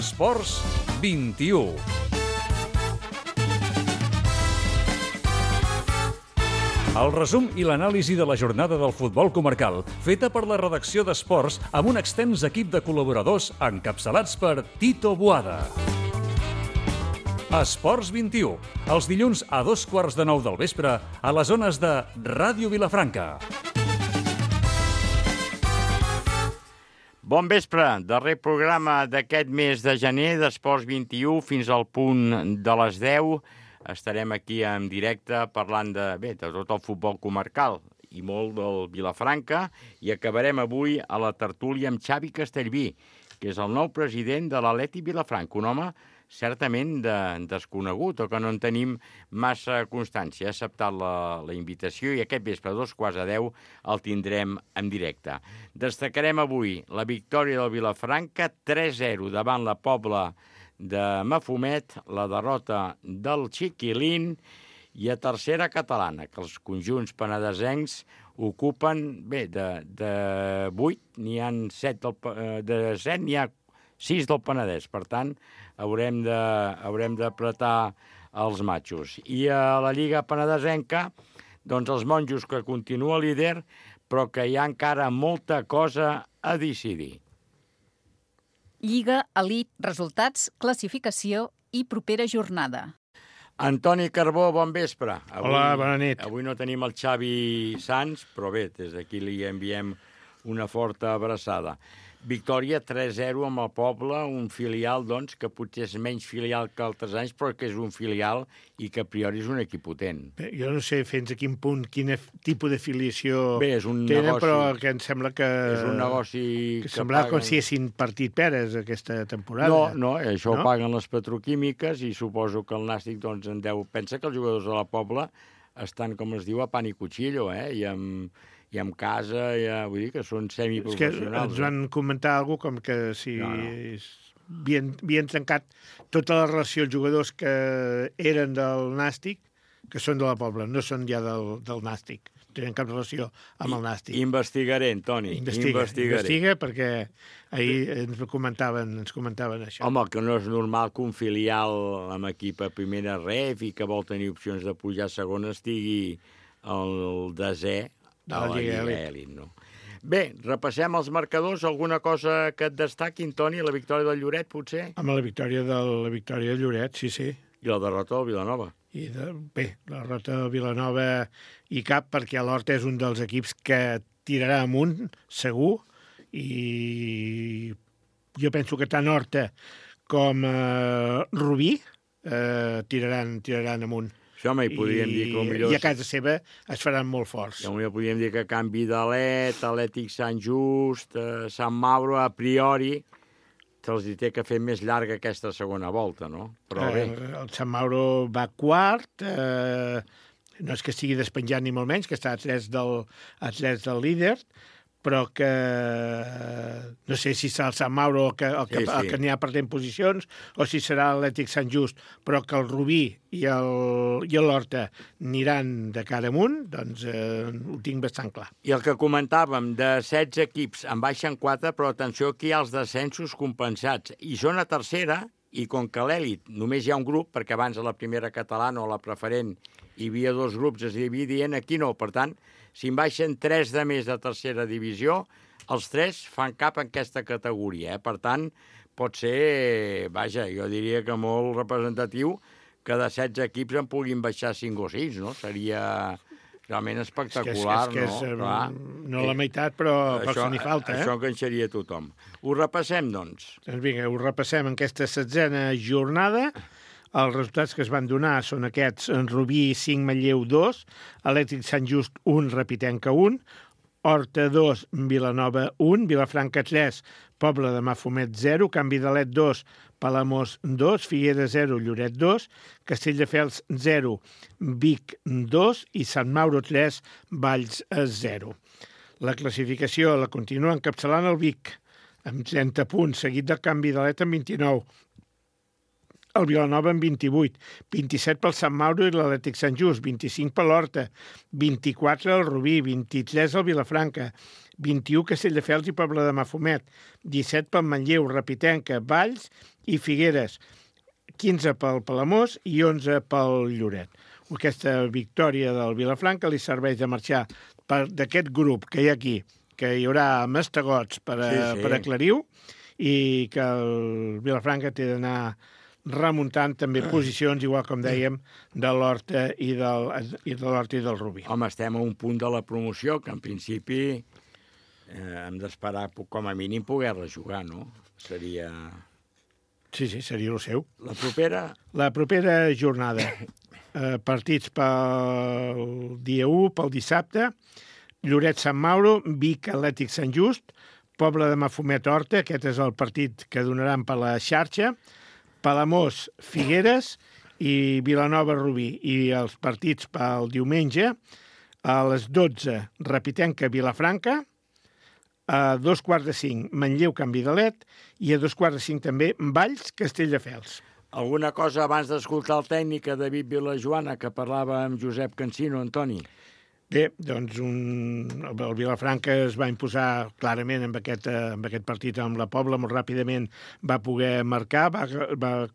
Esports 21. El resum i l'anàlisi de la jornada del futbol comarcal, feta per la redacció d'Esports amb un extens equip de col·laboradors encapçalats per Tito Boada. Esports 21, els dilluns a 8:45 del vespre a les zones de Ràdio Vilafranca. Bon vespre, darrer programa d'aquest mes de gener d'Esports 21 fins al punt de les 10. Estarem aquí en directe parlant de tot el futbol comarcal i molt del Vilafranca i acabarem avui a la tertúlia amb Xavi Castellví, que és el nou president de l'Atlètic Vilafranca, un home certament desconegut o que no en tenim massa constància. Ha acceptat la invitació i aquest vespre a 9:15 el tindrem en directe. Destacarem avui la victòria del Vilafranca 3-0 davant la Pobla de Mafumet, la derrota del Chiquilín i a tercera catalana, que els conjunts penedesencs ocupen, de 8, n'hi ha 7, de 7 n'hi ha 6 del Penedès, per tant, haurem d'apretar els matxos. I a la Lliga Penedesenca, doncs els monjos que continua líder, però que hi ha encara molta cosa a decidir. Lliga, elit, resultats, classificació i propera jornada. Antoni Carbó, bon vespre. Hola, bona nit. Avui no tenim el Xavi Sans, però bé, des d'aquí li enviem una forta abraçada. Victòria 3-0 amb el Poble, un filial, doncs, que potser és menys filial que altres anys, però que és un filial i que a priori és un equip potent. Bé, jo no sé fins a quin punt, quin tipus de filiació és un tenen, negoci, però que em sembla que... És un negoci que semblava com si haguessin partit peres aquesta temporada. No, això ho paguen les petroquímiques i suposo que el Nàstic doncs, en deu... Pensa que els jugadors de la Pobla estan, com es diu, a pan i cuchillo, i amb casa, vull dir que són semiprofessionals. És que ens van comentar alguna cosa com que si havien trencat tota la relació els jugadors que eren del Nàstic, que són de la Pobla, no són ja del Nàstic. No tenen cap relació amb el Nàstic. Investigaré, Toni. Investiga, perquè ahir ens comentaven això. Home, que no és normal que un filial amb equip a primera ref i que vol tenir opcions de pujar a segona estigui al desè de la Lliga Elit, no? Bé, repassem els marcadors. Alguna cosa que et destaquin, Toni? La victòria del Lloret, potser? Amb la victòria del Lloret, sí. I la derrota del Vilanova. La derrota del Vilanova i cap, perquè l'Horta és un dels equips que tirarà amunt, segur, i jo penso que tant Horta com Rubí tiraran amunt. Això hi podríem dir que millor... I a casa seva es faran molt forts. Ja podríem dir que canvi d'Alet, Atlètic Sant Just, Sant Mauro, a priori, se'ls té que fer més llarga aquesta segona volta, no? Però bé. El Sant Mauro va quart, no és que estigui despenjat ni molt menys, que està a 3 del líder, però que no sé si serà el Sant Mauro el que n'hi ha perdent posicions o si serà l'Atlètic Sant Just, però que el Rubí i l'Horta aniran de cara amunt, doncs ho tinc bastant clar. I el que comentàvem, de 16 equips en baixen 4, però atenció que hi ha els descensos compensats, i són a tercera, i com que a l'èlit només hi ha un grup, perquè abans a la primera catalana o a la preferent hi havia 2 grups, es dividien, aquí no, per tant, si en baixen 3 de més de tercera divisió, els 3 fan cap en aquesta categoria. Per tant, pot ser, jo diria que molt representatiu que de 16 equips en puguin baixar 5 o 6, no? Seria realment espectacular, no la meitat, però se n'hi falta, Això enganxaria tothom. Ho repassem, doncs. Doncs vinga, ho repassem en aquesta 16a jornada. Els resultats que es van donar són aquests: Rubí 5, Manlleu 2, Atlètic Sant Just 1, Repitenca 1, Horta 2, Vilanova 1, Vilafranca 3, Pobla de Mafumet 0, Canvi d'Alet 2, Palamós 2, Figueres 0, Lloret 2, Castelldefels 0, Vic 2 i Sant Mauro 3, Valls 0. La classificació la continua encapçalant el Vic, amb 30 punts, seguit del Canvi d'Alet amb 29. El Vilanova amb 28, 27 pel Sant Mauro i l'Atlètic Sant Just, 25 per l'Horta, 24 el Rubí, 23 el Vilafranca, 21 Castelldefels i Pobla de Mafumet, 17 pel Manlleu, Repitenca, Valls i Figueres, 15 pel Palamós i 11 pel Lloret. Aquesta victòria del Vilafranca li serveix de marxar d'aquest grup que hi ha aquí, que hi haurà mastegots per aclarir-ho, i que el Vilafranca té d'anar remuntant també posicions, igual com dèiem, de l'Horta i del Rubí. Home, estem a un punt de la promoció que en principi hem d'esperar com a mínim poder-la jugar, no? Seria... Sí, seria el seu. La propera? La propera jornada. Partits pel dia 1, pel dissabte, Lloret-Sant Mauro, Vic Atlètic Sant Just, Pobla de Mafumet Horta, aquest és el partit que donaran per la xarxa, Palamós Figueres i Vilanova Rubí. I els partits pel diumenge, a les 12, Repitenca Vilafranca, a 2:45 Manlleu Can Vidalet i a 2:45 també Valls Castelldefels. Alguna cosa abans d'escoltar el tècnic a David Vilajoana, que parlava amb Josep Cansino, Antoni? Bé, doncs el Vilafranca es va imposar clarament en aquest partit amb la Pobla, molt ràpidament va poder marcar, va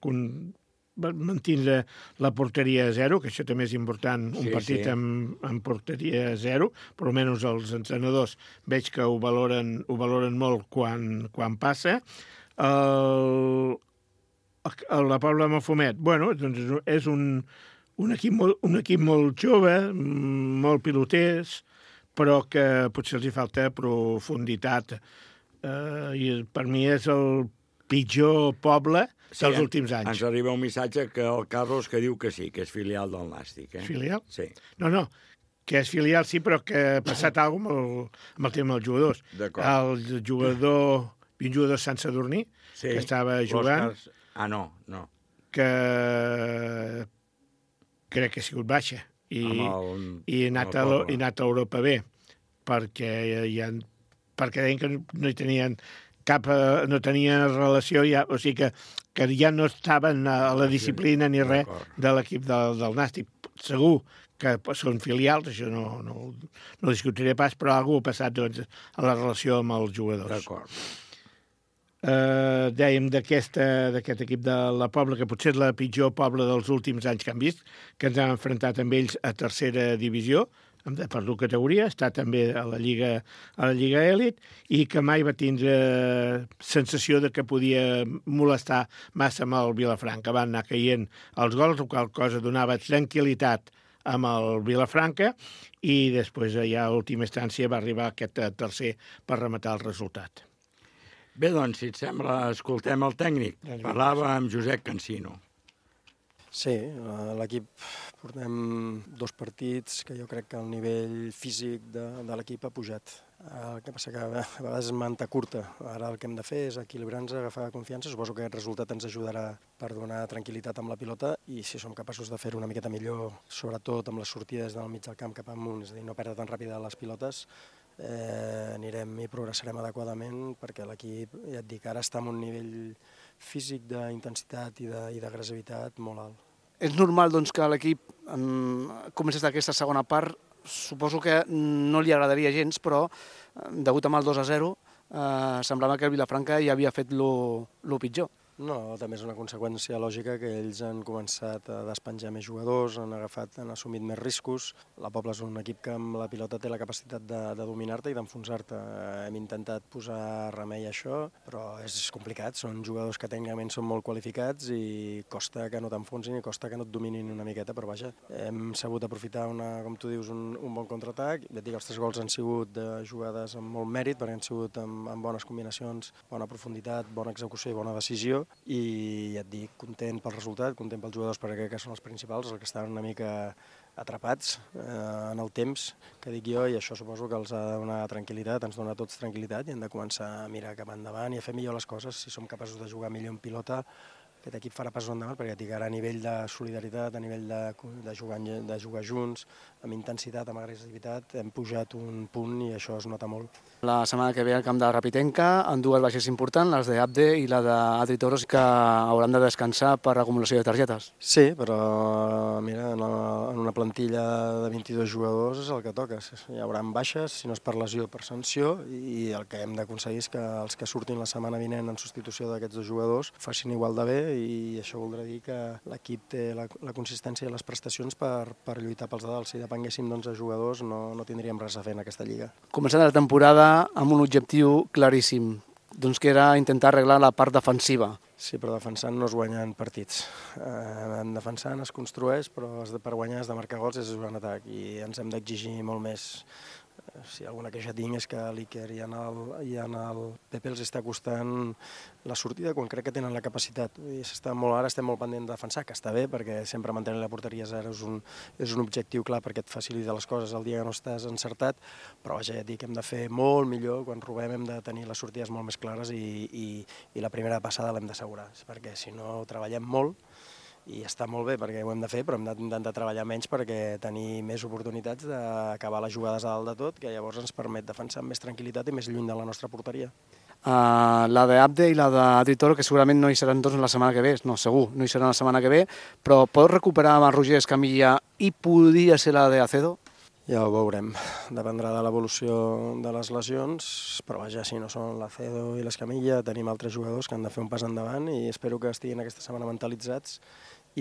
mantenir la porteria a 0, que això també és important, un partit amb porteria a 0, però almenys els entrenadors veig que ho valoren molt quan passa. La Pobla de Mafumet, bueno, doncs és un equip molt jove, molt piloters, però que potser els hi falta profunditat. I per mi és el pitjor poble dels últims anys. Ens arriba un missatge que el Carlos que diu que sí, que és filial del Nàstic. Filial? Sí. No, que és filial sí, però que ha passat alguna cosa amb el tema dels jugadors. D'acord. Un jugador Sant Sadurní, que estava jugant... No. Que crec que ha sigut baixa i ha anat a Europa bé, perquè deien que no hi tenien no tenia relació, o sigui que ja no estaven a la disciplina ni res de l'equip del Nàstic. Segur que són filials, això no discutiré pas, però alguna cosa ha passat doncs, a la relació amb els jugadors. D'acord. Dèiem d'aquest equip de la Pobla, que potser és la pitjor Pobla dels últims anys que hem vist, que ens hem enfrontat amb ells a tercera divisió, hem perdut categoria, està també a la Lliga Elit, i que mai va tindre sensació de que podia molestar massa amb el Vilafranca. Van anar caient els gols, la qual cosa donava tranquil·litat amb el Vilafranca, i després ja a última instància va arribar aquest tercer per rematar el resultat. Bé, doncs, si et sembla, escoltem el tècnic. Parlava amb Josep Cansino. Sí, l'equip portem 2 partits que jo crec que el nivell físic de l'equip ha pujat. El que passa que a vegades és manta curta. Ara el que hem de fer és equilibrar-nos, agafar confiança. Suposo que aquest resultat ens ajudarà per donar tranquil·litat amb la pilota i si som capaços de fer-ho una miqueta millor, sobretot amb les sortides del mig del camp cap amunt, és a dir, no perdre tan ràpida les pilotes, anirem i progressarem adequadament perquè l'equip, ja et dic, ara està en un nivell físic d'intensitat i d'agressivitat molt alt. És normal doncs, que l'equip comencés aquesta segona part. Suposo que no li agradaria gens, però degut amb el 2-0 semblava que el Vilafranca ja havia fet lo pitjor. No, també és una conseqüència lògica que ells han començat a despenjar més jugadors, han assumit més riscos. La Pobla és un equip que amb la pilota té la capacitat de dominar-te i d'enfonsar-te. Hem intentat posar remei a això, però és complicat. Són jugadors que tècnicament són molt qualificats i costa que no t'enfonsin i costa que no et dominin una miqueta, però vaja, hem sabut aprofitar, com tu dius, un bon contraatac. Ja et dic, els 3 gols han sigut de jugades amb molt mèrit, perquè han sigut amb bones combinacions, bona profunditat, bona execució i bona decisió. I ja et dic, content pel resultat, content pels jugadors perquè crec que són els principals, els que estan una mica atrapats en el temps, que dic jo, i això suposo que els ha de donar tranquil·litat, ens dona a tots tranquil·litat i hem de començar a mirar cap endavant i a fer millor les coses. Si som capaços de jugar millor en pilota, aquest equip farà passos endavant, perquè ja et dic, ara a nivell de solidaritat, a nivell de jugar junts, amb intensitat, amb agressivitat, hem pujat un punt i això es nota molt. La setmana que ve al camp de Rapitenca, en dues baixes importants, les d'Abde i la d'Adri Toros, que hauran de descansar per acumulació de targetes. Sí, però mira, en una plantilla de 22 jugadors és el que toca. Hi haurà baixes, si no és per lesió, per sanció, i el que hem d'aconseguir és que els que surtin la setmana vinent en substitució d'aquests dos jugadors facin igual de bé, i això voldrà dir que l'equip té la consistència i les prestacions per lluitar pels de dalt. Si depenguéssim d'11 jugadors no tindríem res a fer en aquesta lliga. Començant la temporada amb un objectiu claríssim, doncs que era intentar arreglar la part defensiva. Sí, però defensant no es guanyen partits. Defensant es construeix, però per guanyar has de marcar gols i és un atac, i ens hem d'exigir molt més. Si alguna queixa tinc és que a l'Iker i en el Pepe els està costant la sortida quan crec que tenen la capacitat. Ara estem molt pendents de defensar, que està bé, perquè sempre mantenir la porteria a zero és un objectiu clar perquè et facilita les coses el dia que no estàs encertat, però vaja, ja et dic que hem de fer molt millor. Quan robem hem de tenir les sortides molt més clares i la primera passada l'hem d'assegurar, perquè si no treballem molt, i està molt bé perquè ho hem de fer, però hem d'intentar treballar menys perquè tenir més oportunitats d'acabar les jugades a dalt de tot, que llavors ens permet defensar amb més tranquil·litat i més lluny de la nostra porteria. La d'Abde i la d'Adri Toro, que segurament no hi seran tots la setmana que ve, no, segur, no hi seran la setmana que ve, però pots recuperar amb el Roger Escamilla i podria ser la d'Acedo? Ja ho veurem, dependrà de l'evolució de les lesions, però vaja, si no són l'Acedo i l'Escamilla, tenim altres jugadors que han de fer un pas endavant i espero que estiguin aquesta setmana mentalitzats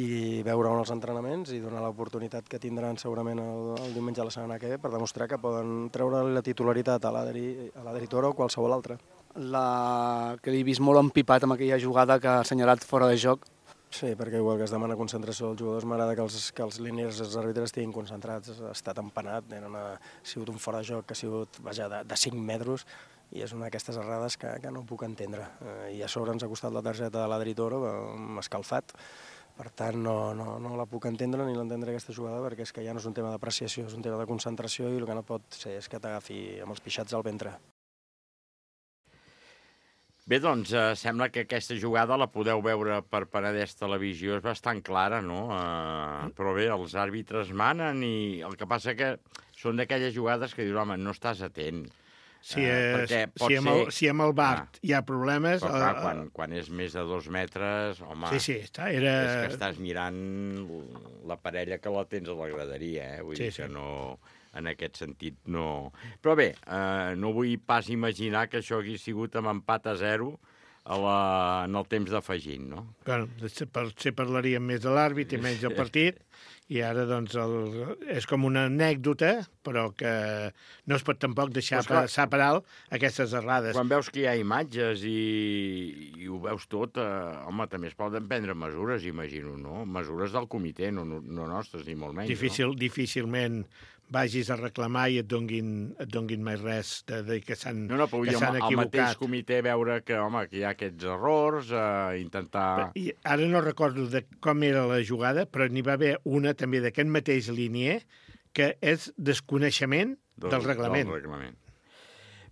i veure-ho en els entrenaments i donar l'oportunitat que tindran segurament el diumenge de la setmana que ve per demostrar que poden treure la titularitat a l'Adri Toro o qualsevol altre. Que l'he vist molt empipat amb aquella jugada que ha assenyalat fora de joc. Sí, perquè igual que es demana concentració als jugadors, m'agrada que els líniers i els àrbitres estiguin concentrats. Ha estat empanat, ha sigut un fora de joc que ha sigut de 5 metres i és una d'aquestes errades que no puc entendre. I a sobre ens ha costat la targeta de l'Adri Toro, m'ha escalfat. Per tant, no la puc entendre ni l'entendre aquesta jugada, perquè és que ja no és un tema d'apreciació, és un tema de concentració i el que no pot ser és que t'agafi amb els pixats al ventre. Bé, doncs, sembla que aquesta jugada la podeu veure per Penedès Televisió, és bastant clara, no? Però bé, els àrbitres manen i el que passa que són d'aquelles jugades que dius, home, no estàs atent. Si amb el VAR hi ha problemes... Però clar, quan és més de 2 metres, home, sí, és que estàs mirant la parella que la tens a la graderia, vull dir que no... En aquest sentit, no... Però bé, no vull pas imaginar que això hagués sigut amb empat a 0 en el temps d'afegint, no? Bueno, potser parlaríem més de l'àrbit i menys del partit, i ara doncs és com una anècdota, però que no es pot tampoc deixar passar per alt aquestes errades. Quan veus que hi ha imatges i ho veus tot, home, també es poden prendre mesures, imagino, no? Mesures del comitè, no nostres, ni molt menys. Difícilment vagis a reclamar i et donguin mai res de que s'han equivocat. El mateix comitè veure que, home, que hi ha aquests errors, intentar... I ara no recordo com era la jugada, però n'hi va haver una també d'aquest mateix linier que és desconeixement del reglament.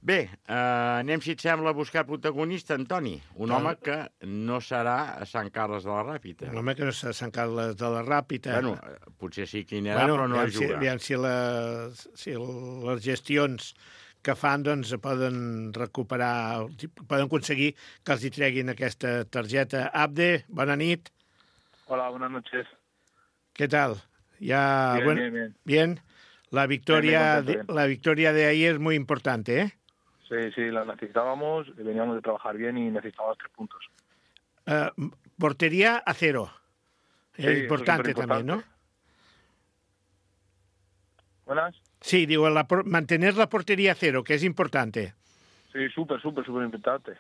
Bé, anem, si et sembla, a buscar protagonista, Antoni. Un home que no serà a Sant Carles de la Ràpita. Un home que no serà a Sant Carles de la Ràpita. Bueno, potser sí que hi anirà, però no juga. Aviam si les gestions que fan doncs poden recuperar, poden aconseguir que els hi treguin aquesta targeta. Abde, bona nit. Hola, buenas noches. ¿Qué tal? Bien. Bien. La victoria de ayer es muy importante, ¿eh? Sí, la necesitábamos, veníamos de trabajar bien y necesitábamos 3 puntos. Portería a 0. Es importante también, ¿no? ¿Buenas? Sí, digo, mantener la portería a 0, que es importante. Sí, súper importante.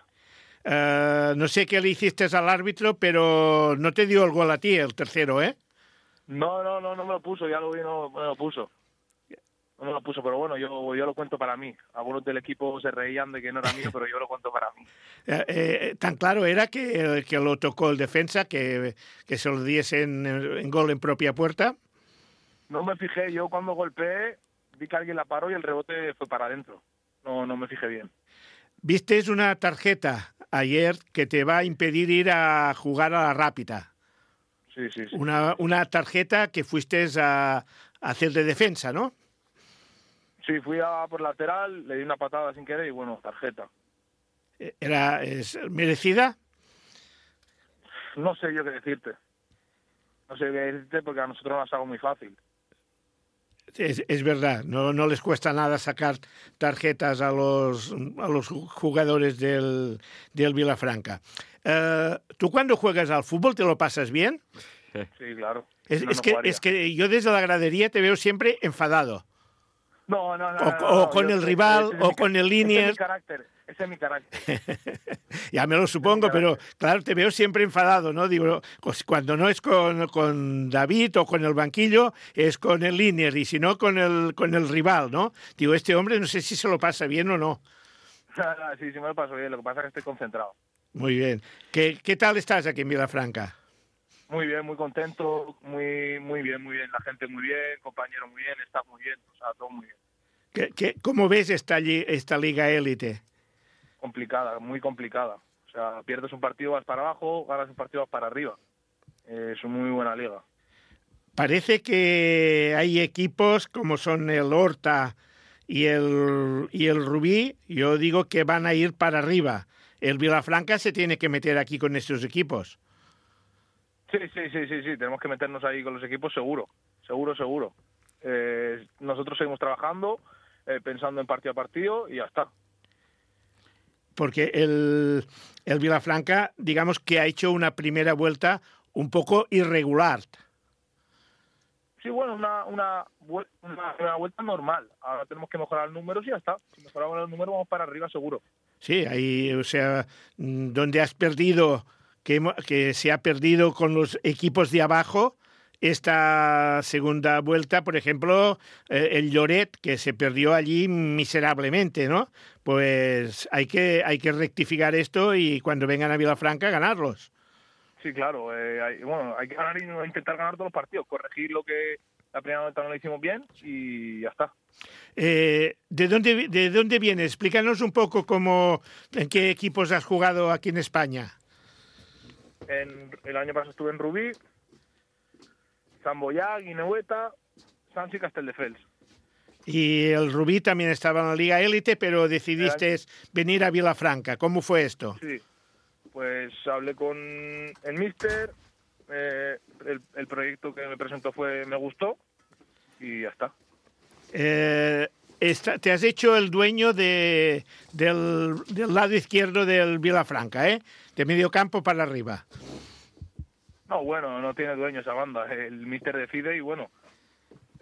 No sé qué le hiciste al árbitro, pero no te dio el gol a ti, el tercero, ¿eh? No me lo puso, ya lo vi, no me lo puso. No me lo puso, pero bueno, yo lo cuento para mí. Algunos del equipo se reían de que no era mío, pero yo lo cuento para mí. Tan claro era que lo tocó el defensa, que se lo diesen en gol en propia puerta. No me fijé, yo cuando golpeé vi que alguien la paró y el rebote fue para adentro. No me fijé bien. Viste una tarjeta ayer que te va a impedir ir a jugar a la Rápita. Sí. Una tarjeta que fuiste hacer de defensa, ¿no? Sí, fui a por lateral, le di una patada sin querer y bueno, tarjeta. ¿Es merecida? No sé yo qué decirte. No sé qué decirte porque a nosotros nos hago muy fácil. Es verdad, no les cuesta nada sacar tarjetas a los jugadores del Vilafranca. ¿Tú cuando juegas al fútbol te lo pasas bien? Sí, claro. Es que yo desde la gradería te veo siempre enfadado. No. O con el rival, o con el Liniers. Ese es mi carácter. Ya me lo supongo, pero claro, te veo siempre enfadado, ¿no? Digo, pues cuando no es con David o con el banquillo, es con el Liniers, y si no, con el rival, ¿no? Digo, este hombre no sé si se lo pasa bien o no. Sí, me lo paso bien, lo que pasa es que estoy concentrado. Muy bien. ¿Qué tal estás aquí en Vilafranca? Muy bien, muy contento, muy bien. La gente muy bien, compañero muy bien, staff muy bien, o sea, todo muy bien. ¿Cómo ves esta liga élite? Complicada, muy complicada. O sea, pierdes un partido, vas para abajo, ganas un partido, vas para arriba. Es una muy buena liga. Parece que hay equipos como son el Horta y el Rubí, yo digo que van a ir para arriba. El Vilafranca se tiene que meter aquí con estos equipos. Sí, tenemos que meternos ahí con los equipos seguro. Nosotros seguimos trabajando, pensando en partido a partido y ya está. Porque el Vilafranca, digamos que ha hecho una primera vuelta un poco irregular. Sí, bueno, una vuelta normal. Ahora tenemos que mejorar los números y ya está. Si mejoramos los números vamos para arriba seguro. Sí, ahí, o sea, donde has perdido, que se ha perdido con los equipos de abajo, esta segunda vuelta, por ejemplo, el Lloret, que se perdió allí miserablemente, ¿no? Pues hay que rectificar esto y cuando vengan a Vilafranca, ganarlos. Sí, claro. Hay que ganar y intentar ganar todos los partidos, corregir lo que la primera vuelta no lo hicimos bien y ya está. ¿De dónde vienes? Explícanos un poco en qué equipos has jugado aquí en España. El año pasado estuve en Rubí, Sant Boià, Guineueta, Sants y Castelldefels. Y el Rubí también estaba en la Liga Élite, pero decidiste venir a Vilafranca. ¿Cómo fue esto? Sí, pues hablé con el míster, el proyecto que me presentó me gustó y ya está. Te has hecho el dueño del lado izquierdo del Vilafranca, ¿eh? De medio campo para arriba. No, bueno, no tiene dueño esa banda. El míster decide y bueno,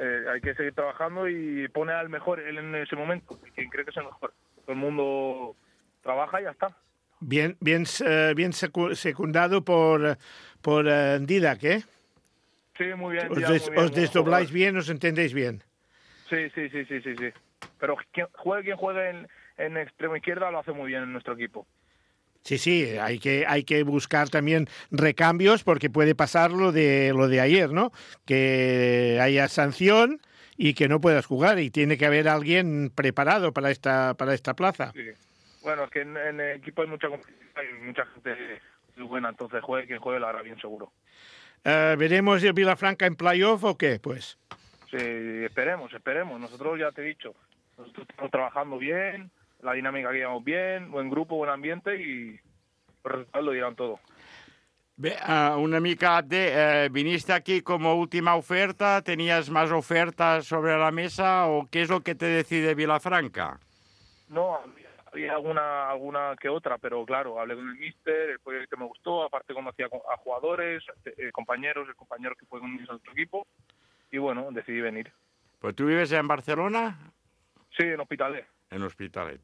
hay que seguir trabajando y pone al mejor él en ese momento, quien cree que es el mejor. Todo el mundo trabaja y ya está. Bien secundado por Didac, ¿eh? Sí, muy bien. Os desdobláis bien, os entendéis bien. Sí. Pero quien juegue en extremo izquierda lo hace muy bien en nuestro equipo. Sí, hay que buscar también recambios porque puede pasar lo de ayer, ¿no? Que haya sanción y que no puedas jugar y tiene que haber alguien preparado para esta plaza. Sí. Bueno, es que en el equipo hay mucha competición y mucha gente muy buena, entonces quien juegue lo hará bien seguro. ¿Veremos el Vilafranca en playoff o qué? Pues sí, esperemos. Nosotros ya te he dicho, nosotros estamos trabajando bien, la dinámica que llevamos bien, buen grupo, buen ambiente y los resultados lo dirán todo. Bé, una mica, viniste aquí como última oferta, ¿tenías más ofertas sobre la mesa o qué es lo que te decide Vilafranca? No, había alguna que otra, pero claro, hablé con el míster, el proyecto me gustó, aparte conocía a jugadores, compañeros, el compañero que fue conmigo en otro equipo, y bueno, decidí venir. Pues tu vives en Barcelona? Sí, en Hospitalet. En Hospitalet.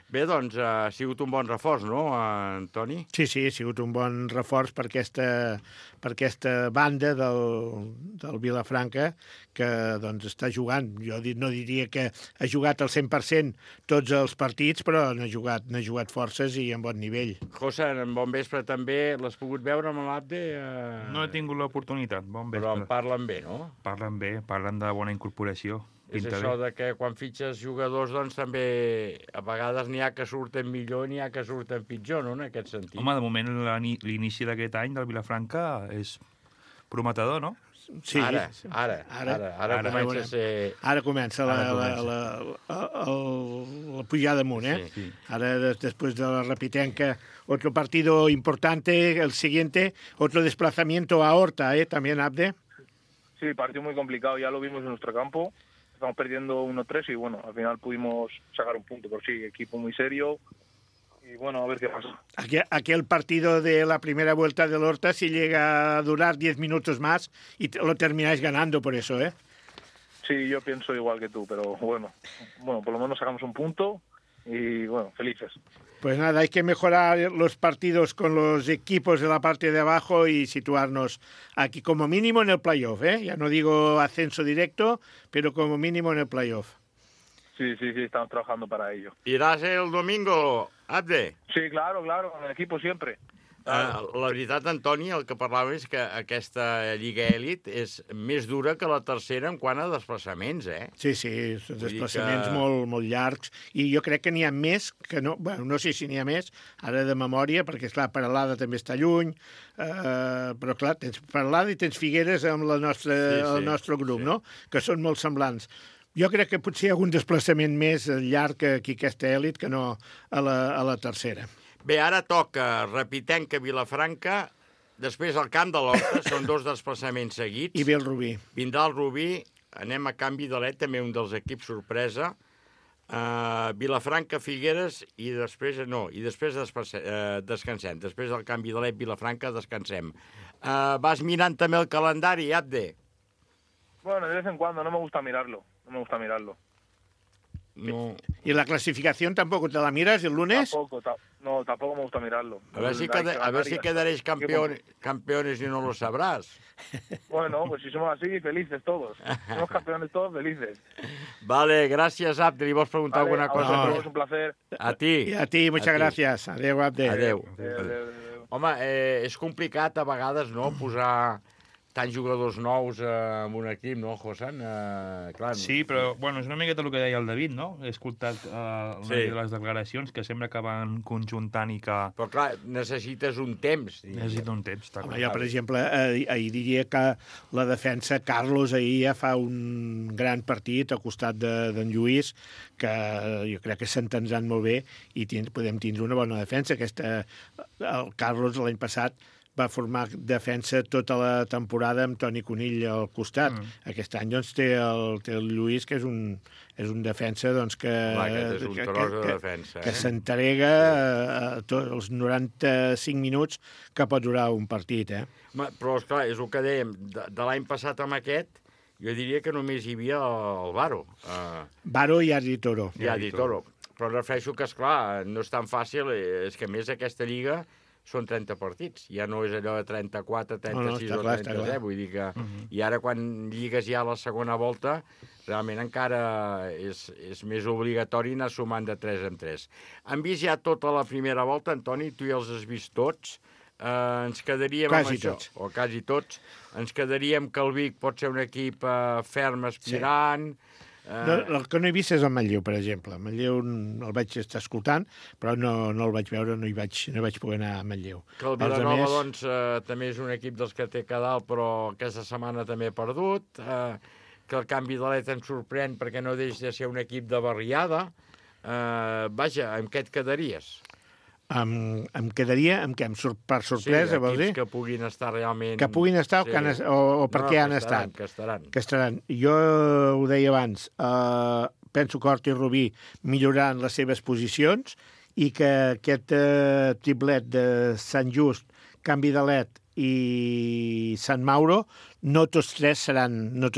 Bé, doncs ha sigut un bon reforç, no, Antoni? Sí, ha sigut un bon reforç per aquesta banda del Vilafranca que doncs, està jugant. Jo no diria que ha jugat al 100% tots els partits, però n'ha jugat forces i en bon nivell. José, en bon vespre també. L'has pogut veure amb l'Abde? No he tingut l'oportunitat, bon vespre. Però en parlen bé, no? Parlen bé, parlen de bona incorporació. És això de que quan fitxes jugadors doncs també a vegades n'hi ha que surten millor, n'hi ha que surten pitjor, no?, en aquest sentit. Home, de moment l'inici d'aquest any del Vilafranca és prometedor, no? Sí. Ara comença a ser... Ara comença la pujada amunt, Sí. Ara, después de la repitenca, otro partido importante, el siguiente, otro desplazamiento a Horta, también, Abde. Sí, partido muy complicado, ya lo vimos en nuestro campo. Estamos perdiendo 1-3 y bueno, al final pudimos sacar un punto, pero sí, equipo muy serio y bueno, a ver qué pasa. Aquel partido de la primera vuelta del Horta, si llega a durar 10 minutos más y lo termináis ganando por eso, Sí, yo pienso igual que tú, pero bueno, por lo menos sacamos un punto y bueno, felices. Pues nada, hay que mejorar los partidos con los equipos de la parte de abajo y situarnos aquí como mínimo en el playoff, Ya no digo ascenso directo, pero como mínimo en el playoff. Sí, estamos trabajando para ello. Iràs el domingo, Abde? Sí, claro, con el equipo siempre. La veritat, Antoni, el que parlava és que aquesta Lliga Èlit és més dura que la tercera en quant a desplaçaments, Sí, són desplaçaments molt llargs, i jo crec que n'hi ha més, que no, bueno, no sé si n'hi ha més, ara de memòria, perquè, esclar, Peralada també està lluny, però, clar, tens Peralada i tens Figueres amb el nostre grup, no?, que són molt semblants. Jo crec que potser hi ha algun desplaçament més llarg aquí aquesta Èlit que no a la tercera. Bé, ara toca Repitenca, Vilafranca, després al Camp de l'Horta, són 2 desplaçaments seguits. I ve el Rubí. Vindrà el Rubí, anem a Can Vidalet, també un dels equips sorpresa. Vilafranca, Figueres, i després descansem. Després del Camp Vidalet, Vilafranca, descansem. Vas mirant també el calendari, Abde? Bueno, de vez en cuando, no me gusta mirarlo. No. ¿Y la clasificación tampoco te la miras el lunes? Tampoco me gusta mirarlo. A ver si quedaréis campeones y no lo sabrás. Bueno, pues si somos así, felices todos. Somos campeones todos, felices. Vale, gràcies, Abde. Li vols preguntar alguna cosa? Es un placer. A ti. I a ti, muchas gracias. Adéu, Abde. Adéu. Home, és complicat a vegades, no?, posar tants jugadors nous en un equip, no, Josan? Clar, sí, però bueno, és una miqueta el que deia el David, no? He escoltat de les declaracions que sembla que van conjuntant i que... Però clar, necessites un temps. Necessita un temps, està clar. Jo, per exemple, ahir diria que la defensa, Carlos, ahir ja fa un gran partit al costat d'en Lluís, que jo crec que s'entendran molt bé i podem tindre una bona defensa. El Carlos l'any passat va formar defensa tota la temporada amb Toni Conill al costat. Aquest any doncs, té el Lluís, que és un defensa doncs, que s'entrega els 95 minuts que pot durar un partit. Però, esclar, és el que dèiem, de l'any passat amb aquest, jo diria que només hi havia el Varo. Varo i Adi Toro. Però refereixo que, esclar, no és tan fàcil, és que a més aquesta lliga són 30 partits, ja no és allò de 34, 36 o 37, vull dir que... I ara quan lligues ja la segona volta, realment encara és més obligatori anar sumant de 3 en 3. Han vist ja tota la primera volta, Antoni, tu ja els has vist tots, ens quedaríem amb això, o quasi tots, ens quedaríem que el Vic pot ser un equip ferm aspirant... El que no he vist és el Manlleu, per exemple. El Manlleu el vaig estar escoltant, però no el vaig veure, no vaig poder anar a Manlleu. Que el Vilanova, doncs, també és un equip dels que té a dalt, però aquesta setmana també ha perdut. Que el Camp Vidalet ens sorprèn perquè no deixa de ser un equip de barriada. Vaja, amb què et quedaries? Em quedaria per sorpresa, vols dir? Sí, equips que puguin estar realment... Que puguin estar o per què han estat? Que estaran. Jo ho deia abans, penso que Horta i Rubí milloraran les seves posicions i que aquest triplet de Sant Just, Can Vidalet i Sant Mauro, no tots tres seran a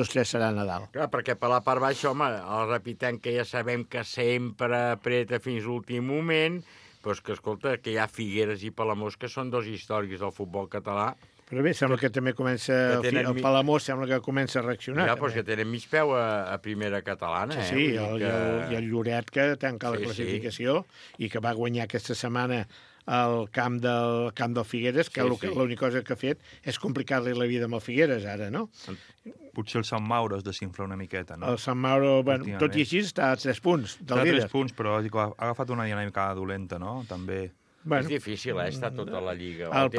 dalt. Clar, perquè per la part baixa, home, el Repitenca ja sabem que sempre apreta fins l'últim moment, però és que, escolta, que hi ha Figueres i Palamós, que són 2 històrics del futbol català. Però bé, sembla que també comença... El Palamós sembla que comença a reaccionar. Ja, però és que tenen mig peu a primera catalana. Sí, i el Lloret, que tanca la classificació i que va guanyar aquesta setmana al camp del Figueres, que l'única cosa que ha fet és complicar-li la vida amb el Figueres, ara, no? Potser el Sant Mauro es desinfla una miqueta, no? El Sant Mauro, bueno, tot i així, està a 3 punts del líder. Està a 3 punts, però ha agafat una dinàmica dolenta, no? També... Bueno, és difícil, està tota la Lliga. El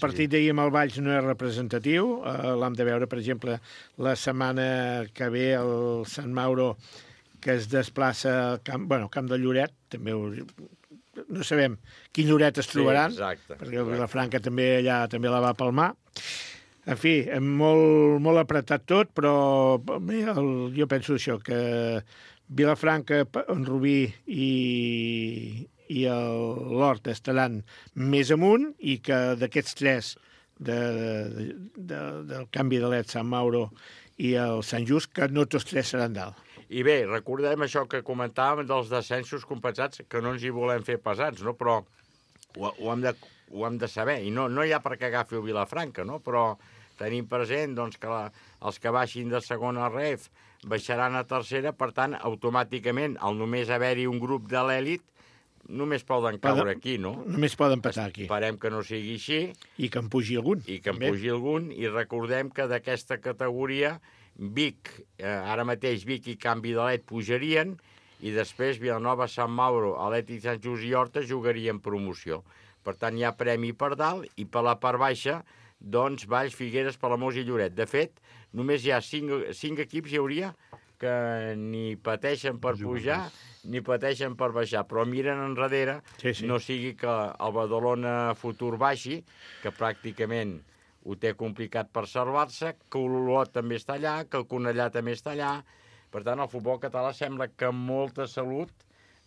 partit d'ahir amb el Valls no és representatiu. L'hem de veure, per exemple, la setmana que ve el Sant Mauro, que es desplaça al camp de Lloret. També no sabem quin Lloret es trobaran, perquè el Vilafranca també la va palmar. En fi, molt apretat tot, però bé, jo penso això, que Vilafranca, en Rubí i l'Hort estaran més amunt i que d'aquests tres, del canvi de l'Ed, Sant Mauro i el Sant Just, que no tots tres seran dalt. I bé, recordem això que comentàvem dels descensos compensats, que no ens hi volem fer pesats, no? Però ho hem de saber, i no hi ha per què agafi el Vilafranca, no? Però tenim present doncs, que els que baixin de segona ref baixaran a tercera, per tant, automàticament, al només haver-hi un grup de l'èlit, només poden caure aquí, no? Només poden passar aquí. Esperem que no sigui així. I que en pugi algun. I recordem que d'aquesta categoria Vic, ara mateix Vic i Can Vidalet pujarien, i després Vilanova, Sant Mauro, Atlètic Sant Just i Horta jugarien promoció. Per tant, hi ha premi per dalt, i per la part baixa, doncs, Valls, Figueres, Palamós i Lloret. De fet, només hi ha 5 equips hi hauria que ni pateixen per pujar ni pateixen per baixar, però miren enrere, no sigui que el Badalona Futur baixi, que pràcticament ho té complicat per salvar-se, que Olot també està allà, que el Cornellà també està allà. Per tant, el futbol català sembla que molta salut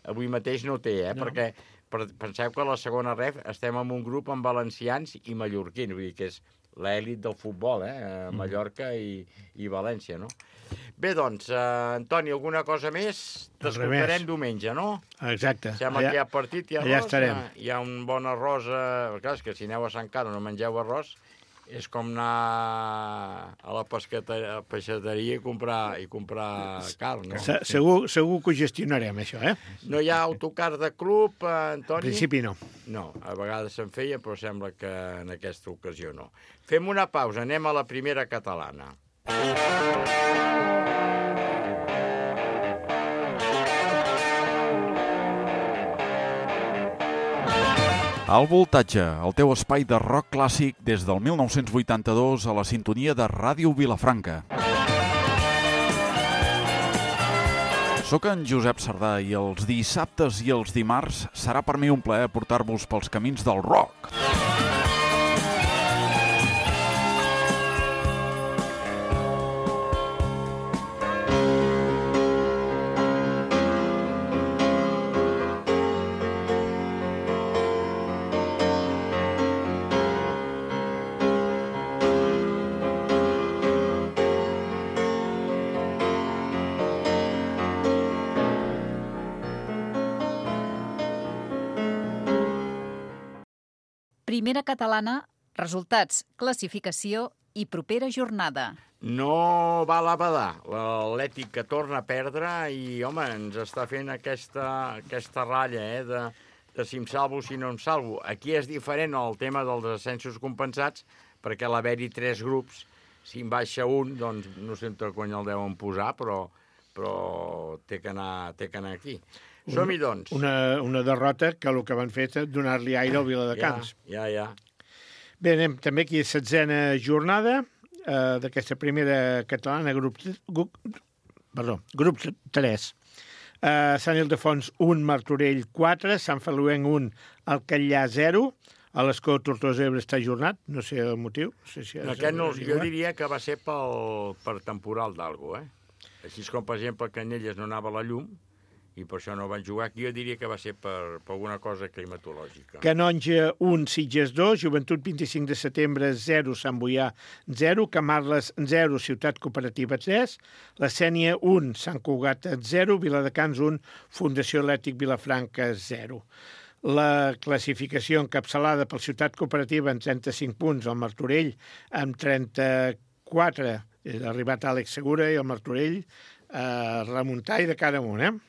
avui mateix no té, perquè penseu que a la segona ref estem en un grup amb valencians i mallorquins, vull dir que és l'èlit del futbol, Mallorca i València, no? Bé, doncs, Antoni, alguna cosa més? T'escoltarem diumenge, no? Exacte. Sembla que hi ha partit, hi ha arròs, estarem. Hi ha un bon arròs. Clar, és que si aneu a Sant Carles no mengeu arròs, és com anar a la peixateria i comprar carn, no? Segur que ho gestionarem, això, No hi ha autocar de club, Antoni? En principi no. No, a vegades se'n feia, però sembla que en aquesta ocasió no. Fem una pausa, anem a la primera catalana. Al Voltatge, el teu espai de rock clàssic des del 1982 a la sintonia de Ràdio Vilafranca. Soc en Josep Sardà i els dissabtes i els dimarts serà per mi un plaer portar-vos pels camins del rock. Primera catalana, resultats, classificació i propera jornada. No val a badar. L'Atlètic que torna a perdre i, home, ens està fent aquesta ratlla, de si em salvo, si no em salvo. Aquí és diferent el tema dels ascensos compensats, perquè a l'haver-hi 3 grups, si en baixa un, doncs no sé on el deuen posar, però té que anar aquí. Som-hi, doncs. Una derrota que el que van fer és donar-li aire al Viladecans. Ja. Bé, anem també aquí a 16a jornada d'aquesta primera catalana, grup 3. Sant Ildefons 1, Martorell 4, Sant Feliuenc 1, Alcallà 0, a l'Escó Tortosa Ebre està ajornat, no sé el motiu. Jo diria que va ser per temporal d'algú, Així com, per exemple, Canyelles no anava a la llum, i per això no van jugar aquí, jo diria que va ser per alguna cosa climatològica. Canonja 1, Sitges 2, Joventut 25 de setembre 0, Sant Boià 0, Camarles 0, Ciutat Cooperativa 3, la Sénia 1, Sant Cugat 0, Viladecans 1, Fundació Atlètic Vilafranca 0. La classificació encapçalada pel Ciutat Cooperativa amb 35 punts, el Martorell amb 34, ha arribat Àlex Segura i el Martorell remuntar i de cara amunt,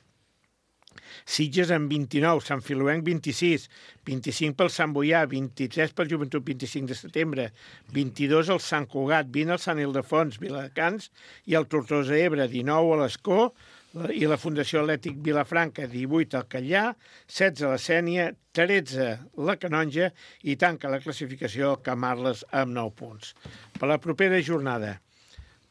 Sitges amb 29, Sant Feliuenc 26, 25 pel Sant Boià, 23 pel Joventut 25 de setembre, 22 el Sant Cugat, 20 el Sant Ildefons, Viladecans i el Tortosa Ebre, 19 a l'Escó, I la Fundació Atlètic Vilafranca, 18 al Catllà, 16 a la Sénia, 13 la Canonja i tanca la classificació el Camarles amb 9 punts. Per la propera jornada,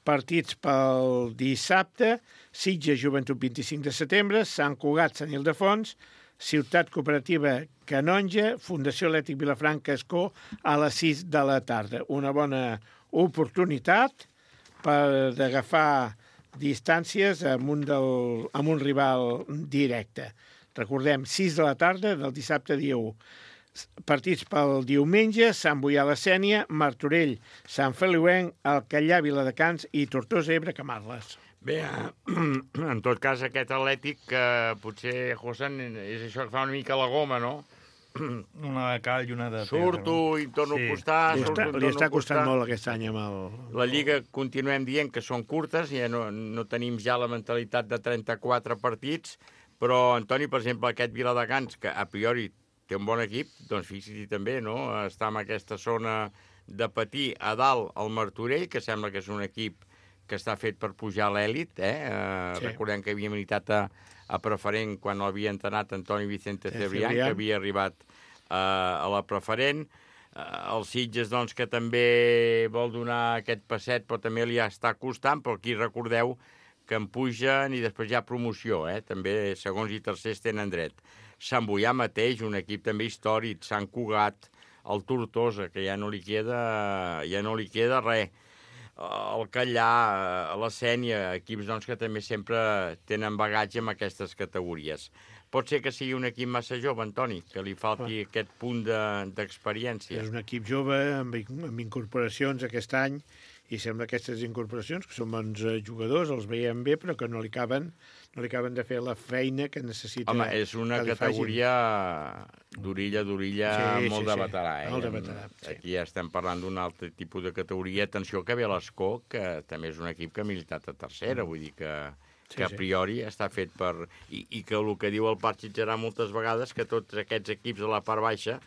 partits pel dissabte, Sitges Joventut 25 de setembre, Sant Cugat, Sant Ildefons, Ciutat Cooperativa Canonja, Fundació Atlètic Vilafranca Escó a les 6 de la tarda. Una bona oportunitat per agafar distàncies amb un rival directe. Recordem, 6 de la tarda del dissabte dia 1. Partits pel diumenge, Sant Boià la Sénia, Martorell, Sant Feliuenc, Alcallà, Viladecans i Tortosa, Ebre, Camarles. Bé, en tot cas, aquest Atlètic, potser, José, és això que fa una mica la goma, no? Una de cal i una de pedra. Surto i torno a costar. Li està costant molt aquest any amb el... La Lliga continuem dient que són curtes, ja no tenim ja la mentalitat de 34 partits, però, Antoni, per exemple, aquest Viladecans, que a priori té un bon equip, doncs fixi-t'hi també, no? Està en aquesta zona de patir a dalt el Martorell, que sembla que és un equip que està fet per pujar a l'èlit, Sí. Recordem que havia militat a preferent quan l'havia entrenat Antoni Vicente Cebrián, que havia arribat a la preferent. El Sitges, doncs, que també vol donar aquest passet, però també li està costant, però aquí recordeu que en pugen i després hi ha promoció, també segons i tercers tenen dret. Sant Boià mateix, un equip també històric, Sant Cugat, el Tortosa, que ja no li queda res. El Catllà, la Sénia, equips doncs, que també sempre tenen bagatge en aquestes categories. Pot ser que sigui un equip massa jove, Antoni, que li falti aquest punt d'experiència. És un equip jove amb incorporacions aquest any i sembla que aquestes incorporacions, que són bons jugadors, els veiem bé, però que no li caben de fer la feina que necessita. Home, és una categoria d'orilla molt de veterà. Molt de veterà, sí. Aquí ja estem parlant d'un altre tipus de categoria. Atenció que ve l'Escó, que també és un equip que ha militat a tercera, vull dir que a priori està fet per... I que el que diu el Parc Sitgerà moltes vegades, que tots aquests equips de la part baixa,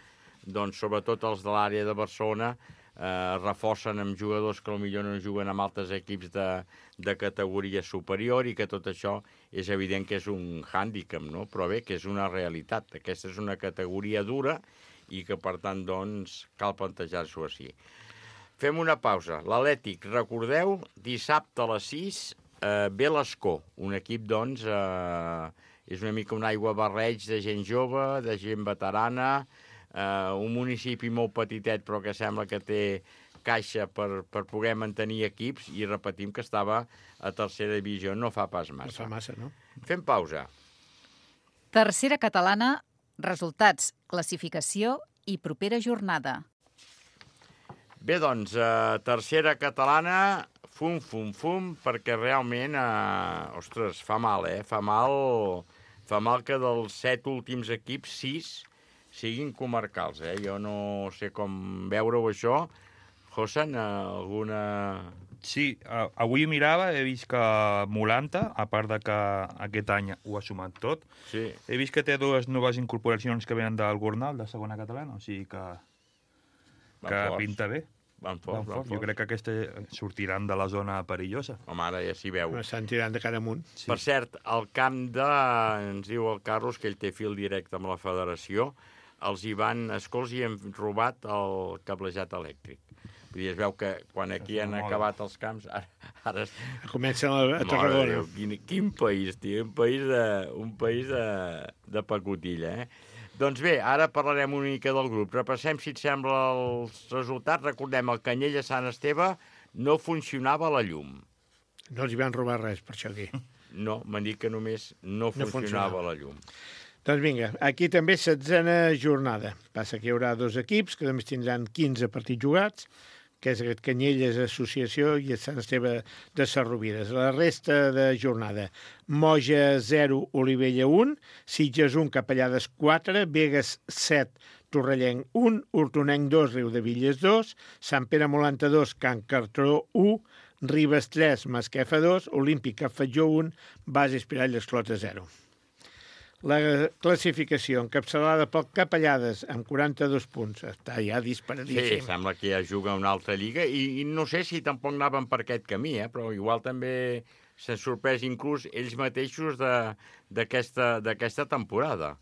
doncs sobretot els de l'àrea de Barcelona, reforcen amb jugadors que potser no juguen amb altres equips de categoria superior i que tot això és evident que és un hàndicap, no? Però bé, que és una realitat. Aquesta és una categoria dura i que, per tant, doncs, cal plantejar-s'ho així. Fem una pausa. L'Atlètic, recordeu, dissabte a les 6, ve l'Escó, un equip, doncs, és una mica un aigua barreig de gent jove, de gent veterana, un municipi molt petitet però que sembla que té caixa per poder mantenir equips i repetim que estava a tercera divisió, no fa pas massa. No fa massa, no? Fem pausa. Tercera catalana, resultats, classificació i propera jornada. Bé, doncs, tercera catalana, fum, perquè realment, ostres, fa mal, Fa mal que dels 7 últims equips, 6 siguin comarcals, Jo no sé com veure-ho, això. Josan, alguna... Sí, avui mirava, he vist que Molanta, a part de que aquest any ho ha sumat tot, sí. He vist que té 2 noves incorporacions que venen del Gornal, de segona catalana, o sigui que pinta bé. Van fort. Jo crec que aquestes sortiran de la zona perillosa. Home, ara ja s'hi veu. Estan tirant de cara amunt. Sí. Per cert, el camp ens diu el Carlos, que ell té fil directe amb la federació, els Escols hi han robat el cablejat elèctric. Vull dir, es veu que quan aquí han acabat els camps, ara... Comencen a Tarragona. Quin país, tio, un país de pacotilla, Doncs bé, ara parlarem una mica del grup. Repassem, si et sembla, els resultats. Recordem, el Canyella Sant Esteve no funcionava la llum. No els hi van robar res, per això aquí. No, m'han dit que només no funcionava la llum. Doncs vinga, aquí també 16a jornada. Passa que hi haurà 2 equips que només tindran 15 partits jugats, que és aquest Canyelles Associació i el Sant Esteve de Sarrovides. La resta de jornada, Moja 0, Olivella 1, Sitges 1, Capellades 4, Begues 7, Torrellenc 1, Hortonenc 2, Riudevilles 2, Sant Pere Molanta 2, Can Cartró 1, Ribes 3, Masquefa 2, Olímpica Fatjó 1, Base Espirall Esclota 0. La classificació encapçalada pel Capellades amb 42 punts. Està ja disparadíssim. Sí, sembla que ja juga una altra lliga i no sé si tampoc anaven per aquest camí, però igual també s'han sorprès inclús ells mateixos d'aquesta temporada.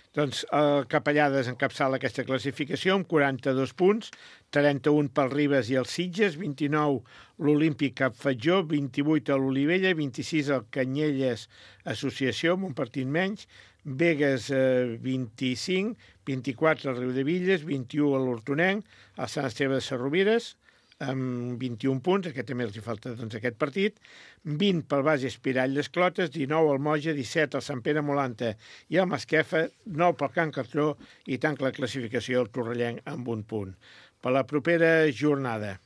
Doncs el Capellades encapçala aquesta classificació amb 42 punts, 31 pel Ribes i el Sitges, 29 l'Olímpic Cap Fatjó, 28 a l'Olivella, 26 el Canyelles Associació, amb un partit menys, Begues 25, 24 al Riudevilles, 21 a l'Hortonenc, el Sant Esteve de Sarrovires, amb 21 punts, aquest també els hi falta aquest partit, 20 pel Base Espirall les Clotes, 19 al Moja, 17 al Sant Pere Molanta i el Masquefa, 9 pel Can Cartró i tanca la classificació el Torrellenc amb un punt. Per la propera jornada,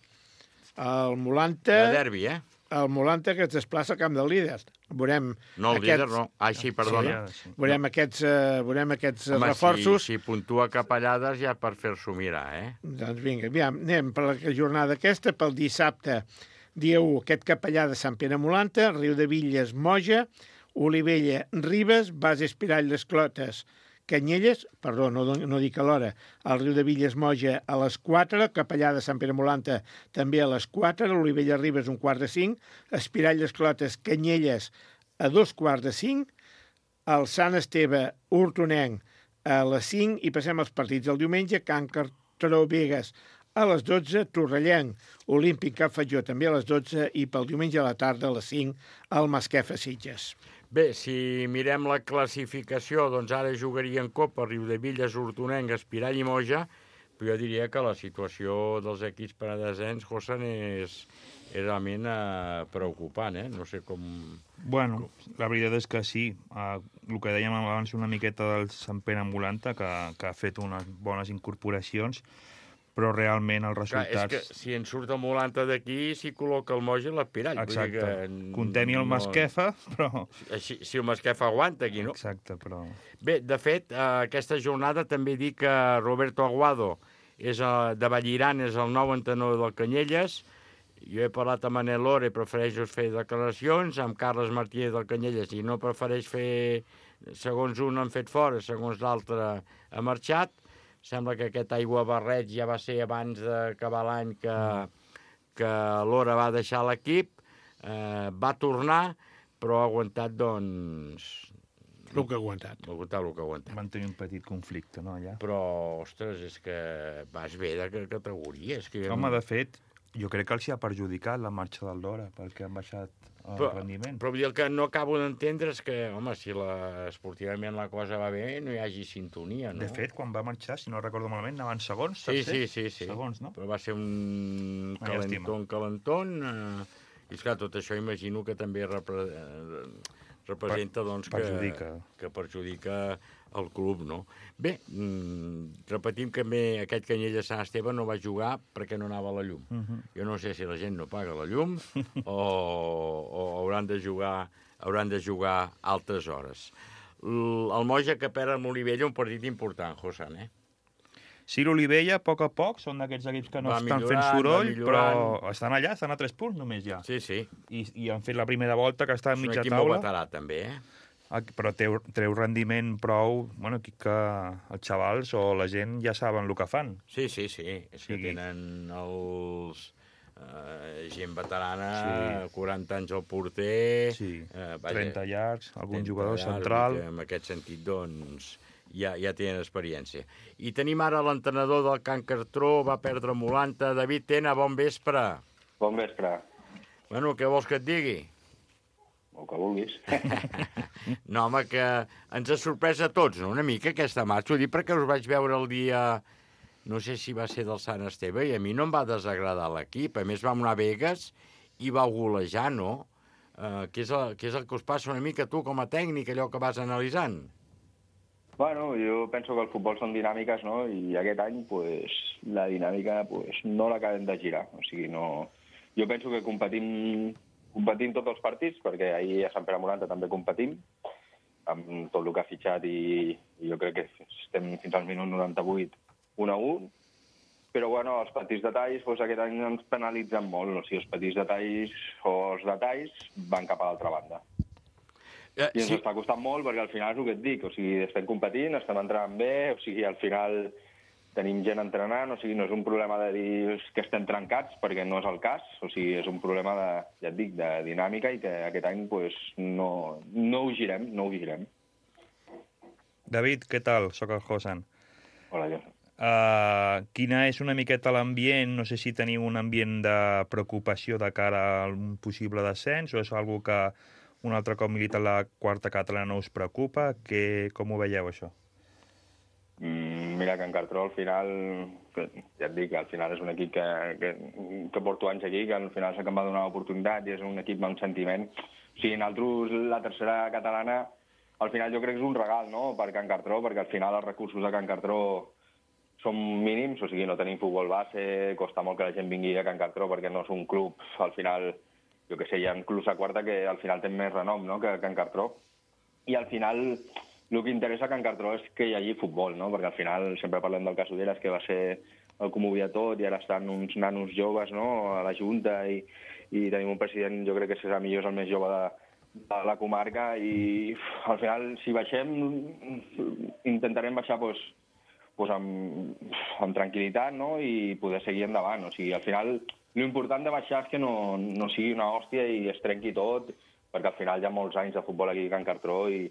el Molanta... De derbi, El Molanta que es desplaça al camp del líder. Veurem no, el líder no. Sí, perdona. Sí. Veurem aquests reforços. Si puntua Capellades ja per fer-s'ho mirar, Doncs vinga, anem per la jornada aquesta, pel dissabte, dia 1, aquest Capellà de Sant Pere Molanta, Riudevilles, Moja, Olivella, Ribes, Base Espirall les Clotes, Canyelles, perdó, no dic a l'hora, el Riudevilles Moja a les 4, Capellà de Sant Pere Molanta també a les 4, Olivella Ribes un quart de 5, Espirall les Clotes, Canyelles a 2:45, el Sant Esteve Hortonenc a les 5 i passem als partits del diumenge, Can Cartró Begues a les 12, Torrellenc, Olímpic Cap Fatjó també a les 12 i pel diumenge a la tarda a les 5 el Masquefa Sitges. Bé, si mirem la classificació, doncs ara jugarien Copa, Riudevilles, Hortonenc, Espirall i Moja, però jo diria que la situació dels equips per a descens, Josan, és realment preocupant, No sé com... Bueno, la veritat és que sí. El que dèiem abans una miqueta del Sant Pere Molanta, que ha fet unes bones incorporacions, però realment els resultats... Clar, és que si en surt el Molanta d'aquí, s'hi col·loca el Moja i l'Espirall. Exacte. Contem-hi el Masquefa, però... Si el Masquefa aguanta aquí, no? Exacte, però... Bé, de fet, aquesta jornada també dic que Roberto Aguado de Vallirán és el nou entrenador del Canyelles. Jo he parlat amb Manel Lore, prefereixo fer declaracions, amb Carles Martínez del Canyelles, i no prefereix fer... Segons un han fet fora, segons l'altre ha marxat. Sembla que aquest aigua barreig ja va ser abans d'acabar l'any que l'Hora va deixar l'equip, va tornar, però ha aguantat, doncs... El que ha aguantat. El que ha aguantat. Van tenir un petit conflicte, no, allà? Però, ostres, és que vas bé de categoria. Home, de fet, jo crec que els ha perjudicat la marxa del Lora, perquè han baixat el rendiment. Però el que no acabo d'entendre és que, home, si esportivament la cosa va bé, no hi hagi sintonia, no? De fet, quan va marxar, si no recordo malament, anaven segons, tercer? Sí. Segons, no? Però va ser un calentón. I, esclar, tot això imagino que també representa doncs, que perjudica el club, no? Bé, repetim que aquest Canyelles Sant Esteve no va jugar perquè no anava a la llum. Jo no sé si la gent no paga la llum o hauran de jugar altres hores. El Moja que perd amb l'Olivella, un partit important, Josan, Sí, l'Olivella, a poc, són d'aquests equips que no estan fent soroll, però estan allà, estan a 3 punts només ja. Sí. I han fet la primera volta, que està a mitja taula. És un equip molt veterà, també, Però treu rendiment prou... Bueno, aquí que els xavals o la gent ja saben el que fan. Sí. És que tenen els... gent veterana, 40 anys al porter... 30 llargs, algun jugador central... En aquest sentit, doncs... Ja tenen experiència. I tenim ara l'entrenador del Can Cartró, va perdre Molanta. David Tena, bon vespre. Bon vespre. Bueno, què vols que et digui? El que vulguis. No, home, que ens ha sorprès a tots, no?, una mica, aquesta marxa. Ho dic perquè us vaig veure el dia... No sé si va ser del Sant Esteve, i a mi no em va desagradar l'equip. A més, vam anar a Begues i va golejar, no? Què és el que us passa una mica, tu, com a tècnic, allò que vas analitzant? Bueno, jo penso que el futbol són dinàmiques, no? I aquest any, pues, la dinàmica, pues, no l'acabem de girar. O sigui, no... Jo penso que competim tots els partits, perquè ahir a Sant Pere Molanta també competim, amb tot el que ha fitxat, i jo crec que estem fins al minut 98 1-1, però bueno, els petits detalls, doncs aquest any ens penalitzen molt, o sigui, els petits detalls o els detalls van cap a l'altra banda. I ens està costant molt perquè al final és el que et dic, o sigui, estem competint, estem entrant bé, o sigui, al final tenim gent entrenant, o sigui, no és un problema de dir que estem trencats, perquè no és el cas, o sigui, és un problema de, ja et dic, de dinàmica i que aquest any pues, no ho girem, no ho girem. David, què tal? Soc el Josan. Hola, jo. Quina és una miqueta l'ambient? No sé si teniu un ambient de preocupació de cara a un possible descens o és una que un altre cop milita la quarta catalana no us preocupa? Com ho veieu, això? Mira, que en Cartró al final, ja et dic, al final és un equip que porto anys aquí, que al final s'ha que em va donar l'oportunitat i és un equip amb sentiment. O sigui, nosaltres, la tercera catalana, al final jo crec que és un regal, no?, per Can Cartró, perquè al final els recursos de Can Cartró són mínims, o sigui, no tenim futbol base, costa molt que la gent vingui a Can Cartró perquè no és un club, al final, jo què sé, hi ha clubs a quarta que al final tenen més renom, no?, que Can Cartró. I al final el que interessa a Can Cartró és que hi hagi futbol, no?, perquè al final sempre parlem del cas Uderes, que va ser el que ho movia tot, i ara estan uns nanos joves, no?, a la Junta, i tenim un president, jo crec que serà millor, és el més jove de la comarca, i al final, si baixem, intentarem baixar amb tranquil·litat, no?, i poder seguir endavant. O sigui, al final, l'important de baixar és que no sigui una hòstia i es trenqui tot, perquè al final hi ha molts anys de futbol aquí a Can Cartró i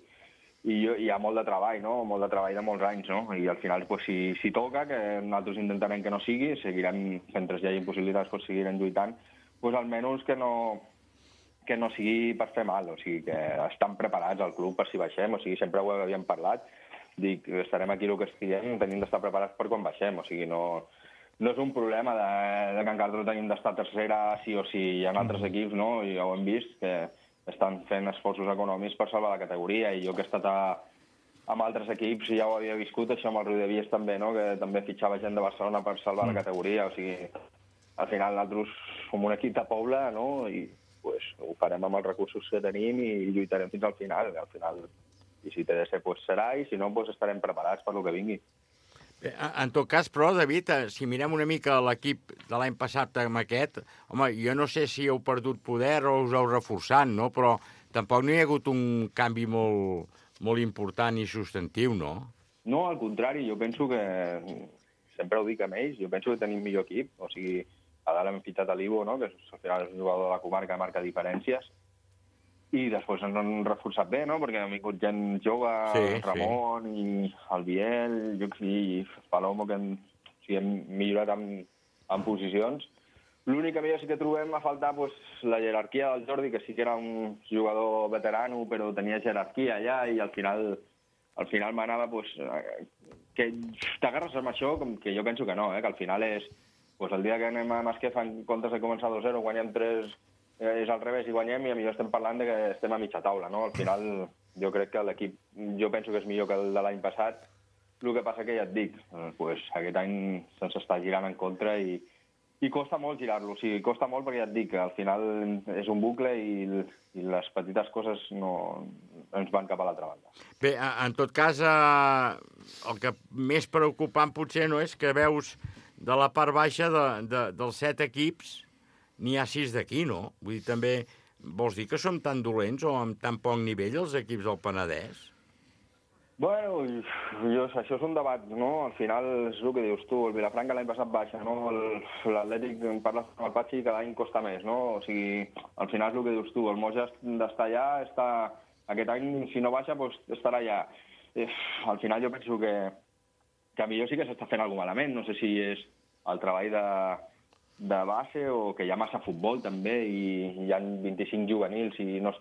hi ha molt de treball, no?, molt de treball de molts anys, no?, i al final, pues, si toca, que nosaltres intentarem que no sigui, seguirem, mentre hi hagi possibilitats, pues, seguirem lluitant, pues, almenys que no sigui per fer mal, o sigui, que estan preparats al club per si baixem, o sigui, sempre ho havíem parlat, dic, estarem aquí el que estiguem, tenim d'estar preparats per quan baixem, o sigui, no és un problema de Can Cartró, tenim d'estar tercera sí o sí, hi ha altres equips, no?, i ja ho hem vist, que estan fent esforços econòmics per salvar la categoria, i jo que he estat amb altres equips ja ho havia viscut, això amb el Riu de Vies també, no?, que també fitxava gent de Barcelona per salvar la categoria, o sigui, al final nosaltres som un equip de poble, no?, i pues, ho farem amb els recursos que tenim i lluitarem fins al final, i si té de ser, pues serà, i si no, pues estarem preparats per lo que vingui. En tot cas, però, David, si mirem una mica l'equip de l'any passat amb aquest, home, jo no sé si heu perdut poder o us heu reforçat, no?, però tampoc no hi ha hagut un canvi molt important i substantiu, no? No, al contrari, jo penso que, sempre ho dic amb ells, jo penso que tenim millor equip, o sigui, a dalt hem fitxat a l'Ivo, no?, que al final és un jugador de la comarca, marca diferències, i després ens han reforçat bé, no?, perquè han vingut gent jove, Ramon i el Biel, i Palomo, que hem millorat en posicions. L'únic que millor sí que trobem a faltar la jerarquia del Jordi, que sí que era un jugador veterano, però tenia jerarquia allà, i al final m'anava que t'agarres amb això, com que jo penso que no, que al final és el dia que anem a Masquefa en comptes de començar 2-0, guanyem 3, és al revés i guanyem, i millor estem parlant de que estem a mitja taula, no? Al final jo crec que l'equip, jo penso que és millor que el de l'any passat, el que passa que ja et dic, aquest any se'ns està girant en contra i costa molt girar-lo, o sigui, costa molt perquè ja et dic que al final és un bucle i les petites coses no ens van cap a l'altra banda. Bé, en tot cas, el que més preocupant potser no és que veus de la part baixa dels 7 equips n'hi ha 6 d'aquí, no? Vull dir, també vols dir que som tan dolents o amb tan poc nivell els equips del Penedès? Bueno, això és un debat, no? Al final és el que dius tu, el Vilafranca l'any passat baixa, no? L'Atlètic, parles amb el Patxi, cada any costa més, no? O sigui, al final és el que dius tu, el Moja d'estar allà, aquest any, si no baixa, doncs estarà allà. Al final jo penso que millor sí que s'està fent alguna cosa malament, no sé si és el treball de base o que hi ha massa futbol també i hi ha 25 juvenils i no es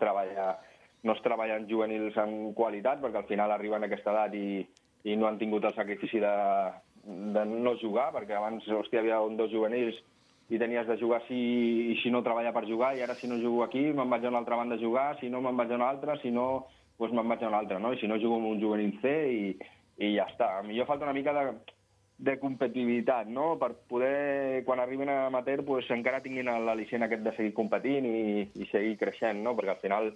treballen juvenils en qualitat perquè al final arriben a aquesta edat i no han tingut el sacrifici de no jugar, perquè abans hi havia 2 juvenils i tenies de jugar si no treballar per jugar, i ara si no jugo aquí me'n vaig a una altra banda a jugar, si no me'n vaig a una altra, si no doncs me'n vaig a una altra, no? I si no jugo amb un juvenil C i ja està. A mi falta una mica de competitivitat, no?, per poder, quan arribin a amateur, encara tinguin l'al·licient aquest de seguir competint i seguir creixent, no?, perquè al final,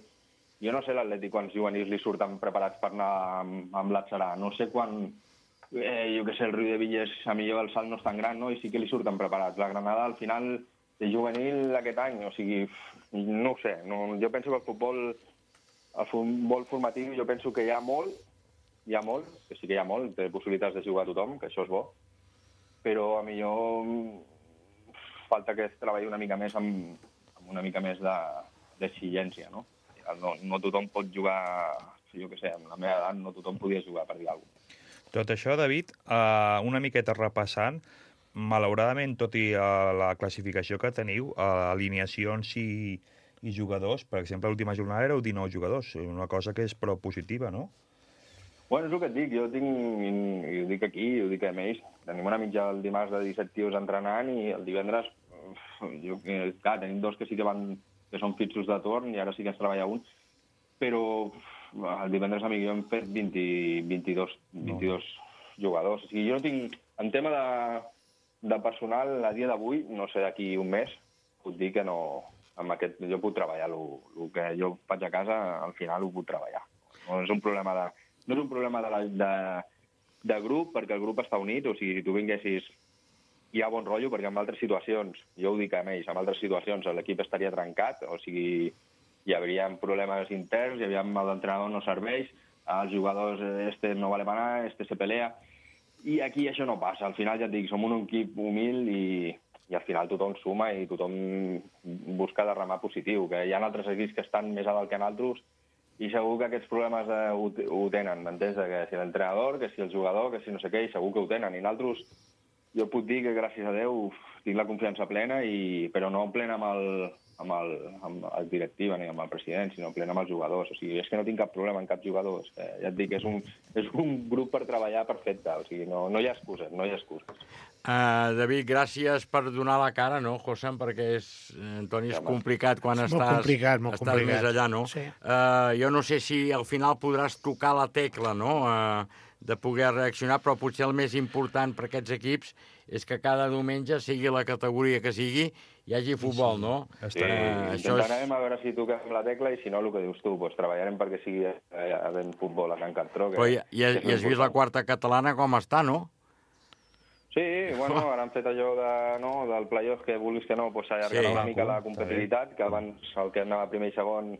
jo no sé l'Atlètic quants juvenils li surten preparats per anar amb l'Atzarà, no sé quan, jo què sé, el Riu de Villes, a millor el salt no és tan gran, no?, i sí que li surten preparats. La Granada, al final, és juvenil aquest any, o sigui, no ho sé, jo penso que el futbol formatiu, jo penso que hi ha molt, que sí que hi ha molt, té possibilitats de jugar a tothom, que això és bo, però a millor falta que es treballi una mica més amb una mica més d'exigència, no? No tothom pot jugar, jo què sé, amb la meva edat no tothom podia jugar, per dir alguna cosa. Tot això, David, una miqueta repassant, malauradament, tot i la classificació que teniu, alineacions i jugadors, per exemple, l'última jornada éreu 19 jugadors, una cosa que és prou positiva, no? Bueno, és el que et dic, i ho dic aquí, i ho dic a ells, tenim una mitja el dimarts de 17 tios entrenant i el divendres, clar, tenim dos que sí que són fixos de torn i ara sí que es treballa un, però el divendres a mi jo hem fet 22 jugadors. O sigui, jo no tinc... En tema de personal, a dia d'avui, no sé, d'aquí un mes, puc dir que no... Amb aquest, jo puc treballar. El que jo faig a casa, al final ho puc treballar. No és un problema de grup, perquè el grup està unit. O sigui, si tu vinguessis, hi ha bon rotllo, perquè en altres situacions, jo ho dic a ells, en altres situacions l'equip estaria trencat, o sigui, hi hauria problemes interns, hi havia l'entrenador no serveix, els jugadors, este no vale para nada, este se pelea, i aquí això no passa. Al final, ja et dic, som un equip humil i al final tothom suma i tothom busca de remar positiu, que hi ha altres equips que estan més a dalt que altres i segur que aquests problemes ho tenen, m'entens? Que si l'entrenador, que si el jugador, que si no sé què, i segur que ho tenen. I nosaltres, jo puc dir que gràcies a Déu tinc la confiança plena, però no plena amb el directiva ni amb el president, sinó plena amb els jugadors. O sigui, és que no tinc cap problema amb cap jugador. Ja et dic, és un grup per treballar perfecte. O sigui, no hi ha excuses, no hi ha excuses. David, gràcies per donar la cara, no, José? Perquè Antoni, és complicat quan estàs més allà, no? Sí. Jo no sé si al final podràs tocar la tecla, no?, de poder reaccionar, però potser el més important per aquests equips és que cada diumenge, sigui la categoria que sigui, hi hagi futbol, no? Sí, intentarem a veure si toquem la tecla i si no, el que dius tu, doncs treballarem perquè sigui havent futbol a Can Cartró. I has vist la quarta catalana com està, no? Sí, bueno, ara han fet allò del play-off, que vulguis que no, s'allargarà una mica la competitivitat, que abans el que anava primer i segon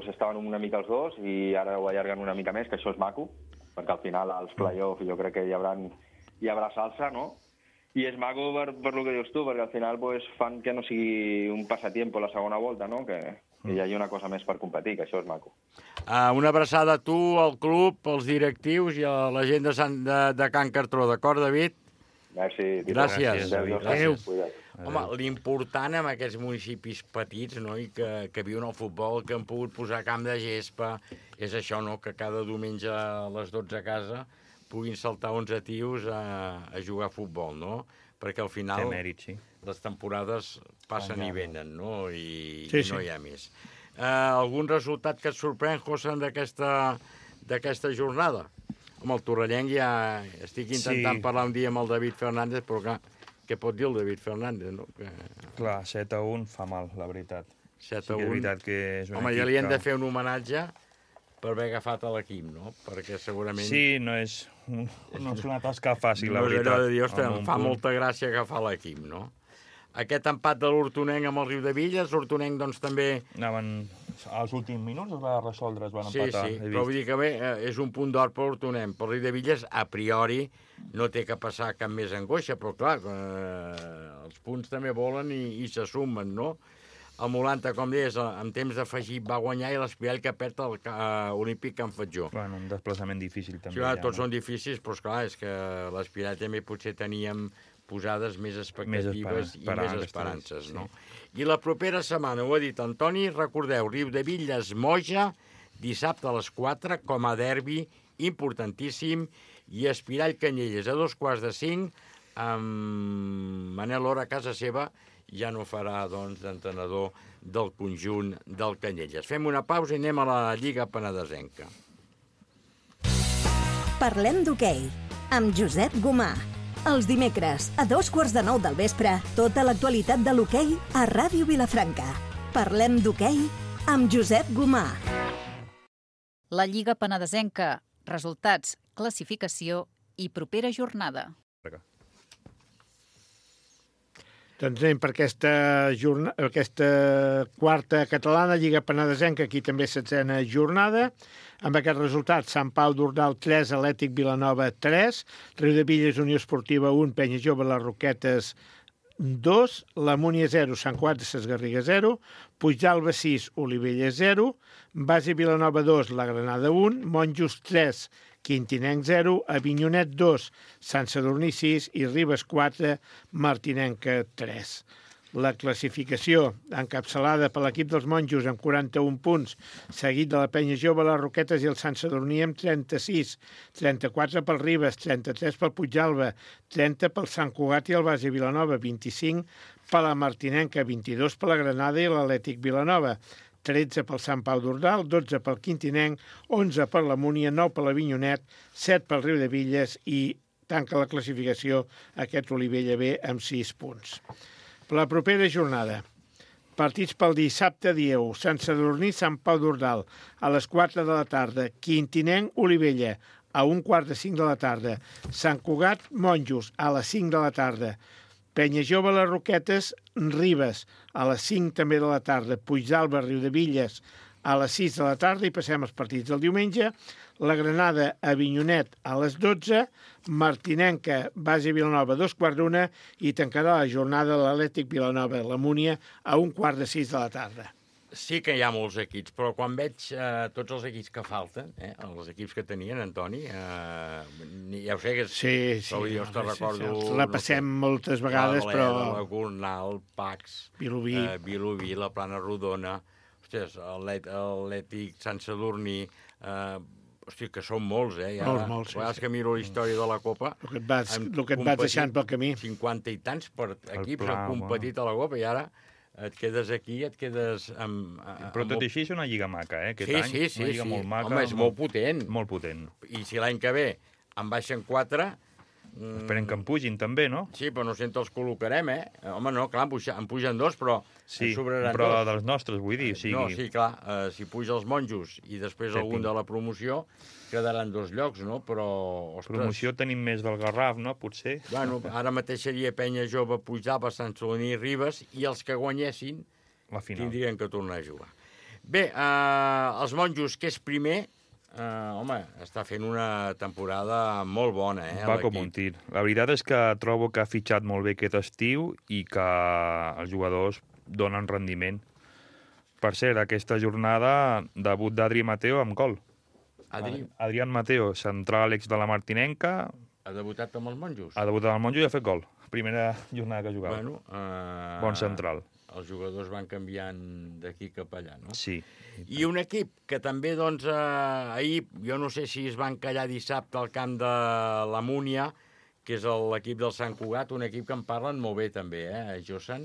estaven una mica els dos i ara ho allarguen una mica més, que això és maco, perquè al final als play-off jo crec que hi haurà salsa, no? I és maco per el que dius tu, perquè al final fan que no sigui un passatiempo la segona volta, no? Que hi hagi una cosa més per competir, que això és maco. Una abraçada a tu, al club, als directius i a la gent de Can Cartró, d'acord, David? Merci. Gràcies. Adéu. Home, l'important en aquests municipis petits, no?, i que viuen el futbol, que han pogut posar camp de gespa, és això, no?, que cada diumenge a les 12 a casa puguin saltar 11 tios a jugar a futbol, no? Perquè al final les temporades passen i venen, no? I no hi ha més. Algun resultat que et sorprèn, José, d'aquesta jornada? Home, el torrellenc ja estic intentant parlar un dia amb el David Fernández, però clar, què pot dir el David Fernández, no? Clar, 7-1 fa mal, la veritat. 7-1. Sí que és veritat que és un equip... Home, ja li hem de fer un homenatge per haver agafat a l'equip, no? Perquè segurament... Sí, no és una tasca fàcil, la veritat. No és allò de dir, em fa molta gràcia agafar l'equip, no? Aquest empat de l'Hortonenc amb el Riudebitlles, l'Hortonenc doncs també... Anaven als últims minuts, es va resoldre, es van empatar. Sí, però vull dir que bé, és un punt d'or per l'Hortonenc. Per Riudebitlles, a priori, no té que passar cap més angoixa, però clar, els punts també volen i se sumen, no? El Molanta, com deies, en temps d'afegit va guanyar i l'Espirall que perd el Olímpic Can Fatjó. Bueno, un desplaçament difícil també. Sí, tots són difícils, però esclar, és que l'Espirall també potser teníem posades més expectatives i més esperances, no? I la propera setmana, ho ha dit Antoni, recordeu, Riudebitlles Moja, dissabte a les 4, com a derbi importantíssim, i Espirall Canyelles a 4:45, amb Manel Ora a casa seva, ja no farà, doncs, d'entrenador del conjunt del Canyelles. Fem una pausa i anem a la Lliga Penedesenca. Parlem d'hoquei, amb Josep Gomà. Els dimecres, a 8:45 del vespre, tota l'actualitat de l'hoquei a Ràdio Vilafranca. Parlem d'hoquei amb Josep Gomà. La Lliga Penedesenca. Resultats, classificació i propera jornada. Doncs anem per aquesta quarta catalana, Lliga Penedesenca, aquí també 7a jornada. Amb aquest resultat, Sant Pau d'Ordal 3, Atlètic Vilanova 3, Riudebitlles Unió Esportiva 1, Penya Jove Les Roquetes 2, la Múnia 0, Sant Cugat de Ses Garrigues 0, Puigdàlber 6, Olivella 0, Basi Vilanova 2, la Granada 1, Monjos 3, Quintinenc 0, Avinyonet 2, Sant Sadurní 6 i Ribes 4, Martinenca 3. La classificació encapçalada per l'equip dels Monjos amb 41 punts, seguit de la Penya Jove, les Roquetes i el Sant Sadurní amb 36, 34 pel Ribes, 33 pel Puigdàlber, 30 pel Sant Cugat i el Basi Vilanova, 25 per la Martinenca, 22 per la Granada i l'Atlètic Vilanova, 13 pel Sant Pau d'Ordal, 12 pel Quintinenc, 11 per la Múnia, 9 per l'Avinyonet, 7 pel Riudebitlles i tanca la classificació aquest Olivella B amb 6 punts. Per la propera jornada, partits pel dissabte dia 1, Sant Sadurní, Sant Pau d'Ordal, a les 4 de la tarda, Quintinenc, Olivella, a 1:45 de la tarda, Sant Cugat, Monjos, a les 5 de la tarda, Penya Jove, les Roquetes, Ribes, a les 5 també de la tarda, Puigdàlber, Riudebitlles, a les 6 de la tarda, i passem als partits del diumenge, la Granada, Avinyonet, a les 12, Martinenca, Basi Vilanova, 2:15, i tancarà la jornada l'Atlètic Vilanova, la Múnia, a 5:15 de la tarda. Sí que hi ha molts equips, però quan veig tots els equips que falten, els equips que tenien, Antoni, ja ho sé que... Sí, jo te'n recordo... Els repassem moltes vegades, però... La Gornal, Pacs, Vilobí, la Plana Rodona, ostres, l'Atlètic Sant Sadurní... Hosti, que són molts, Molts, sí. A vegades que miro la història de la Copa... El que et vas deixant pel camí. 50 i tants per equips han competit a la Copa, i ara et quedes aquí, et quedes amb... Però tot i així és una lliga maca, aquest any. Sí. Una lliga molt maca. Home, és molt potent. Molt potent. I si l'any que ve en baixen 4... Esperem que en pugin també, no? Sí, però no sé on els col·locarem, Home, no, clar, en pugen 2, però sí, en sobraran 2. Però dels nostres, vull dir. No, sí, clar, si puja els Monjos i després algun de la promoció, quedaran 2 llocs, no? Però, ostres... Promoció tenim més del Garraf, no? Potser. Bueno, ara mateix seria Penya Jove, Puigdàlber, Sant Sadurní i Ribes, i els que guanyessin tindrien que tornar a jugar. Bé, els Monjos, que és primer... home, està fent una temporada molt bona, Va com un tir. La veritat és que trobo que ha fitxat molt bé aquest estiu i que els jugadors donen rendiment. Per cert, aquesta jornada, debut d'Adri Mateo amb gol. Adrián Mateo, central ex de la Martinenca. Ha debutat amb els Monjos? Ha debutat amb els Monjos i ha fet gol. Primera jornada que jugava. Bueno, bon central. Els jugadors van canviant d'aquí cap allà, no? Sí. I un equip que també, doncs, ahir, jo no sé si es van callar dissabte al camp de la Múnia, que és l'equip del Sant Cugat, un equip que en parlen molt bé també, Josan?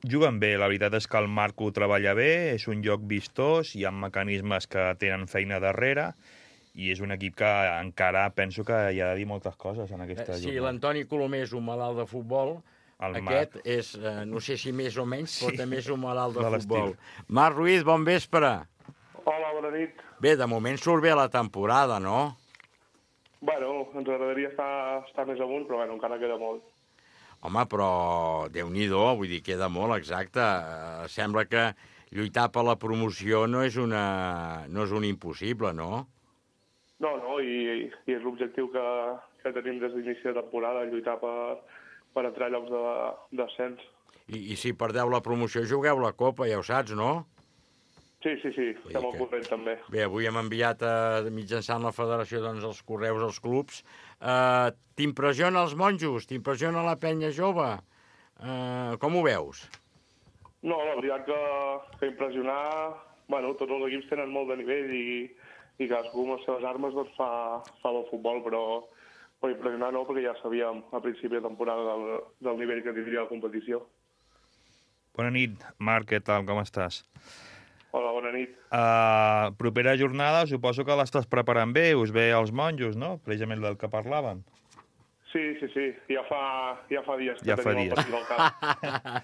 Juguen bé, la veritat és que el Marco treballa bé, és un lloc vistós, hi ha mecanismes que tenen feina darrere, i és un equip que encara penso que hi ha de dir moltes coses en aquesta jornada. Sí, l'Antoni Colomer és un malalt de futbol. Aquest és, no sé si més o menys, però també és un malalt de futbol. Marc Ruiz, bon vespre. Hola, bona nit. Bé, de moment surt bé la temporada, no? Bueno, ens agradaria estar més amunt, però bueno, encara queda molt. Home, però Déu-n'hi-do, vull dir, queda molt, exacte. Sembla que lluitar per la promoció no és un impossible, no? No, i és l'objectiu que tenim des d'inici de temporada, lluitar per entrar a llocs d'ascens. I si perdeu la promoció, jugueu la Copa, ja ho saps, no? Sí, estem al corrent també. Bé, avui hem enviat mitjançant la federació doncs, els correus als clubs. T'impressiona els Monjos? T'impressiona la Penya Jove? Com ho veus? No, la veritat que impressionar... Bueno, tots els equips tenen molt de nivell i cadascú amb les seves armes doncs, fa el futbol, però impressionar no, perquè ja sabíem a principi de temporada del nivell que tindria la competició. Bona nit, Marc, què tal, com estàs? Hola, bona nit. Propera jornada, suposo que l'estàs preparant bé, us ve als Monjos, no? Precisament del que parlàvem. Sí, ja fa dies que tenim el partit al cap.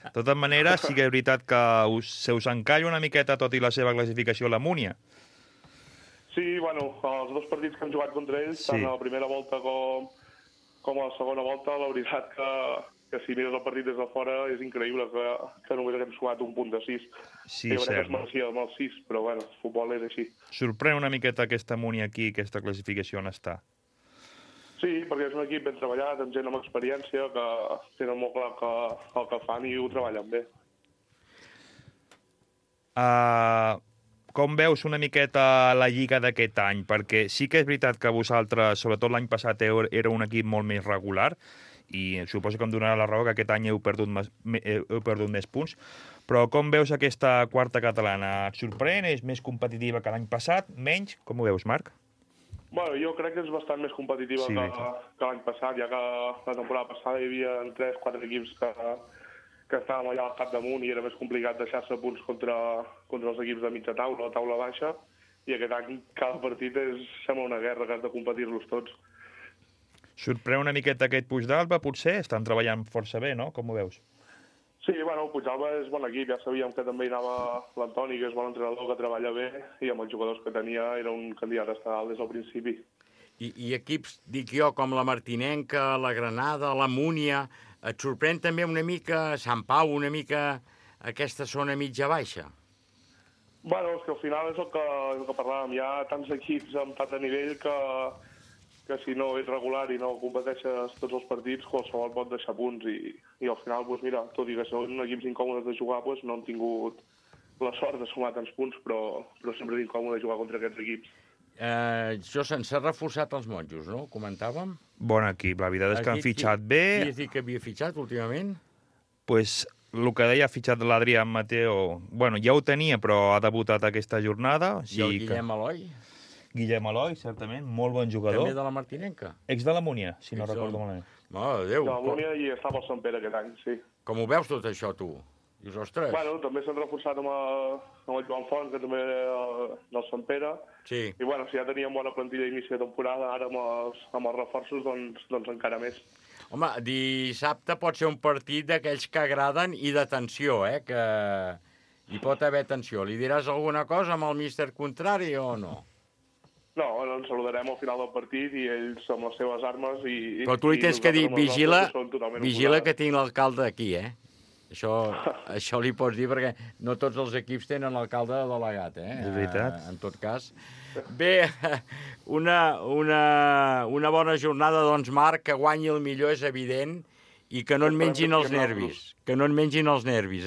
De totes maneres, sí que és veritat que se us encalla una miqueta tot i la seva classificació a la Múnia. Sí, bueno, els 2 partits que hem jugat contra ells, tant a la primera volta com a la segona volta, la veritat que si mires el partit des de fora és increïble que només haguem sumat un punt de 6. Sí, jo crec que cert. es mereixia amb el 6, però bueno, el futbol és així. Sorprèn una miqueta aquesta Muni aquí, aquesta classificació on està. Sí, perquè és un equip ben treballat, amb gent amb experiència, que tenen molt clar el que fan i ho treballen bé. Com veus una miqueta la Lliga d'aquest any? Perquè sí que és veritat que vosaltres, sobretot l'any passat, era un equip molt més regular, i suposo que em donarà la raó que aquest any heu perdut més punts, però com veus aquesta quarta catalana? Et sorprèn? És més competitiva que l'any passat? Menys? Com ho veus, Marc? Bueno, jo crec que és bastant més competitiva Sí, que l'any passat, ja que la temporada passada hi havia 3-4 equips que estàvem allà al capdamunt i era més complicat deixar-se punts contra els equips de mitja taula o taula baixa, i aquest any cada partit sembla una guerra que has de competir-los tots. Sorprèn una miqueta aquest Puigdàlber, potser? Estan treballant força bé, no? Com ho veus? Sí, bueno, Puigdàlber és bon equip, ja sabíem que també hi anava l'Antoni, que és bon entrenador, que treballa bé, i amb els jugadors que tenia era un candidat a estar dalt des del principi. I equips, dic jo, com la Martinenca, la Granada, la Múnia, et sorprèn també una mica Sant Pau, una mica aquesta zona mitja-baixa? Bueno, és que al final és el que parlàvem, hi ha tants equips amb tant de nivell que si no ets regular i no competeixes tots els partits, qualsevol pot deixar punts i al final, doncs mira, tot i que són equips incòmodes de jugar, doncs no han tingut la sort de sumar tants punts, però sempre és incòmode jugar contra aquests equips. Josen, s'ha reforçat els monjos, no? Comentàvem. Bon equip, la veritat és que han fitxat bé. Qui has dit que havia fitxat últimament? Pues el que deia, ha fitxat l'Adrián Mateo, bueno, ja ho tenia, però ha debutat aquesta jornada. I el Guillem Eloi? Guillem Eloi, certament, molt bon jugador. També de la Martinenca? Ex de la Múnia, si no recordo malament. Mare de Déu. De la Múnia i estava al Sant Pere aquest any, sí. Com ho veus tot això, tu? Dius, ostres... Bueno, també s'han reforçat amb el Joan Font, que també era del Sant Pere. Sí. I bueno, si ja teníem bona plantilla d'inici de temporada, ara amb els reforços, doncs encara més. Home, dissabte pot ser un partit d'aquells que agraden i de tensió, que hi pot haver tensió. Li diràs alguna cosa amb el míster contrari o no? No, ens saludarem al final del partit i ells amb les seves armes i... Però tu li tens que dir, vigila que tinc l'alcalde aquí, Això li pots dir perquè no tots els equips tenen l'alcalde delegat, És veritat. En tot cas. Bé, una bona jornada, doncs, Marc, que guanyi el millor és evident i que no en mengin els nervis. Que no en mengin els nervis,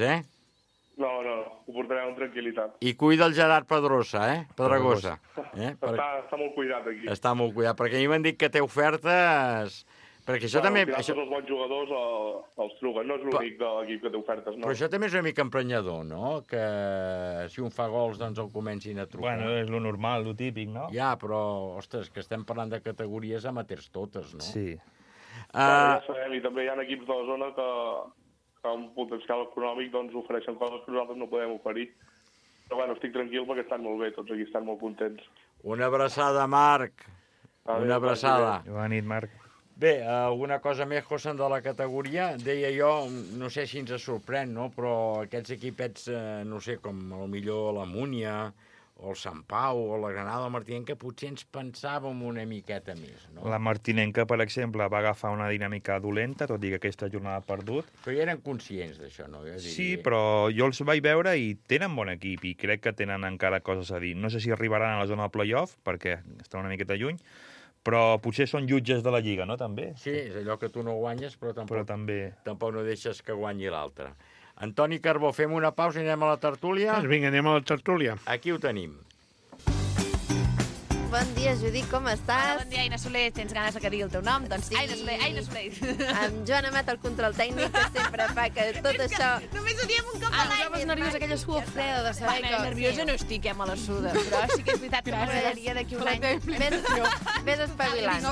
No, ho portarem amb tranquil·litat. I cuida el Gerard Pedrosa, Pedregosa. Està molt cuidat aquí. Està molt cuidat, perquè a mi m'han dit que té ofertes... Perquè això també... Al final tots els bons jugadors els truguen, no és l'únic de l'equip que té ofertes, no. Però això també és una mica emprenyador, no? Que si un fa gols, doncs el comencin a trucar. Bueno, és lo normal, lo típic, no? Ja, però, ostres, que estem parlant de categories amateurs totes, no? Sí. Ja sabem, i també hi ha equips de la zona que amb potencial econòmic doncs ofereixen coses que nosaltres no podem oferir. Però bueno, estic tranquil perquè estan molt bé, tots aquí estan molt contents. Una abraçada, Marc. Una abraçada. Bona nit, Marc. Bé, alguna cosa més, Josen, de la categoria? Deia jo, no sé si ens sorprèn, no? Però aquests equipets, no sé, com millor la Múnia, o el Sant Pau, o la Granada, el Martinenca, potser ens pensàvem una miqueta més, no? La Martinenca, per exemple, va agafar una dinàmica dolenta, tot i que aquesta jornada ha perdut. Però ja eren conscients d'això, no? Sí, però jo els vaig veure i tenen bon equip, i crec que tenen encara coses a dir. No sé si arribaran a la zona del play-off, perquè estan una miqueta lluny, però potser són jutges de la Lliga, no, també? Sí, és allò que tu no guanyes, però tampoc no deixes que guanyi l'altre. Antoni Carbó, fem una pausa i anem a la tertúlia? Doncs vinga, anem a la tertúlia. Aquí ho tenim. Bon dia, Judit, com estàs? Bon dia, Aina Soler. Tens ganes que digui el teu nom? Doncs sí. Aina Soler. Amb Joan Amat, el control tècnic, que sempre fa que tot això... Només ho diem un cop a l'any. Estaves nerviosa, aquella suor freda de saber que... Nerviosa no estic, me la suda, però sí que és veritat que m'agradaria d'aquí un any. Vés espavilant.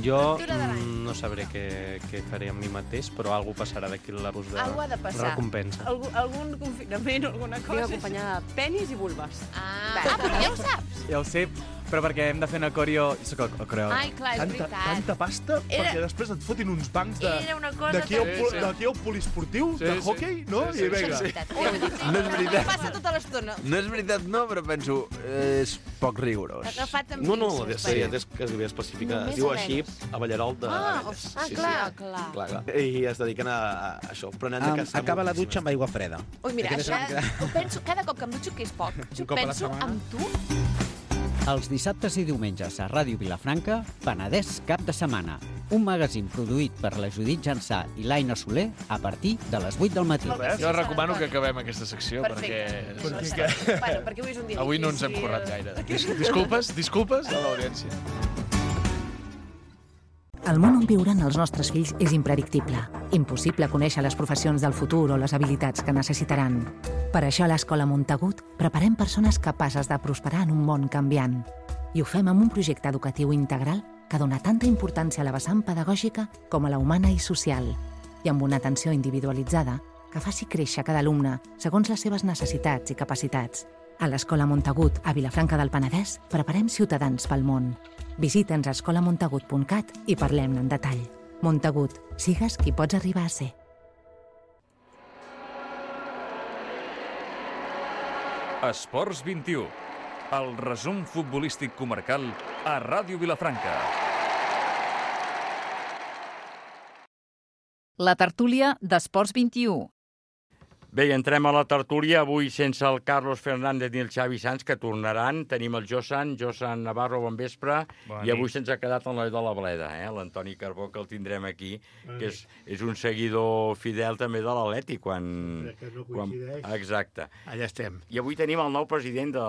Jo no sabré què faré amb mi mateix, però alguna passarà d'aquí l'abús de recompensa. Algun confinament o alguna cosa. Vinc acompanyada de penis i vulves. Però ja ho saps. Ja ho sé, però perquè hem de fer una coreo... Soc el coreo. Ai, clar, és veritat. Tanta pasta perquè després et fotin uns bancs d'aquí al polisportiu, de hockey, no? I vinga. No és veritat. Passa tota l'estona. No és veritat, no, però penso, és poc rigorós. Agafat amb No, pinces. sí, és quasi bé especificat. Es diu així, a Ballarol de... Clar. I es dediquen a això, però anem de casa. Acaba la dutxa amb aigua freda. Ui, mira, ho penso cada cop que em dutxo, que és poc. Jo penso en tu. Els dissabtes i diumenges a Ràdio Vilafranca, Penedès Cap de Setmana. Un magazín produït per la Judit Jansà i l'Aina Soler a partir de les 8 del matí. Jo recomano que acabem aquesta secció perquè avui és un dia avui no ens hem currat gaire. Disculpes a l'audiència. El món on viuran els nostres fills és impredictible. Impossible conèixer les professions del futur o les habilitats que necessitaran. Per això a l'Escola Montagut preparem persones capaces de prosperar en un món canviant. I ho fem amb un projecte educatiu integral que dona tanta importància a la vessant pedagògica com a la humana i social, i amb una atenció individualitzada que faci créixer cada alumne segons les seves necessitats i capacitats. A l'Escola Montagut, a Vilafranca del Penedès, preparem ciutadans pel món. Visita'ns a escolamontagut.cat i parlem-ne en detall. Montagut, sigues qui pots arribar a ser. Esports 21. El resum futbolístic comarcal a Ràdio Vilafranca. La tertúlia d'Esports 21. Bé, entrem a la tertúlia, avui sense el Carlos Fernández ni el Xavi Sanz, que tornaran. Tenim el Josan Navarro, bon vespre, i avui se'ns ha quedat en l'Oi de la Bleda, l'Antoni Carbó, que el tindrem aquí, que és un seguidor fidel també de l'Atlètic, quan... Exacte. Allà estem. I avui tenim el nou president de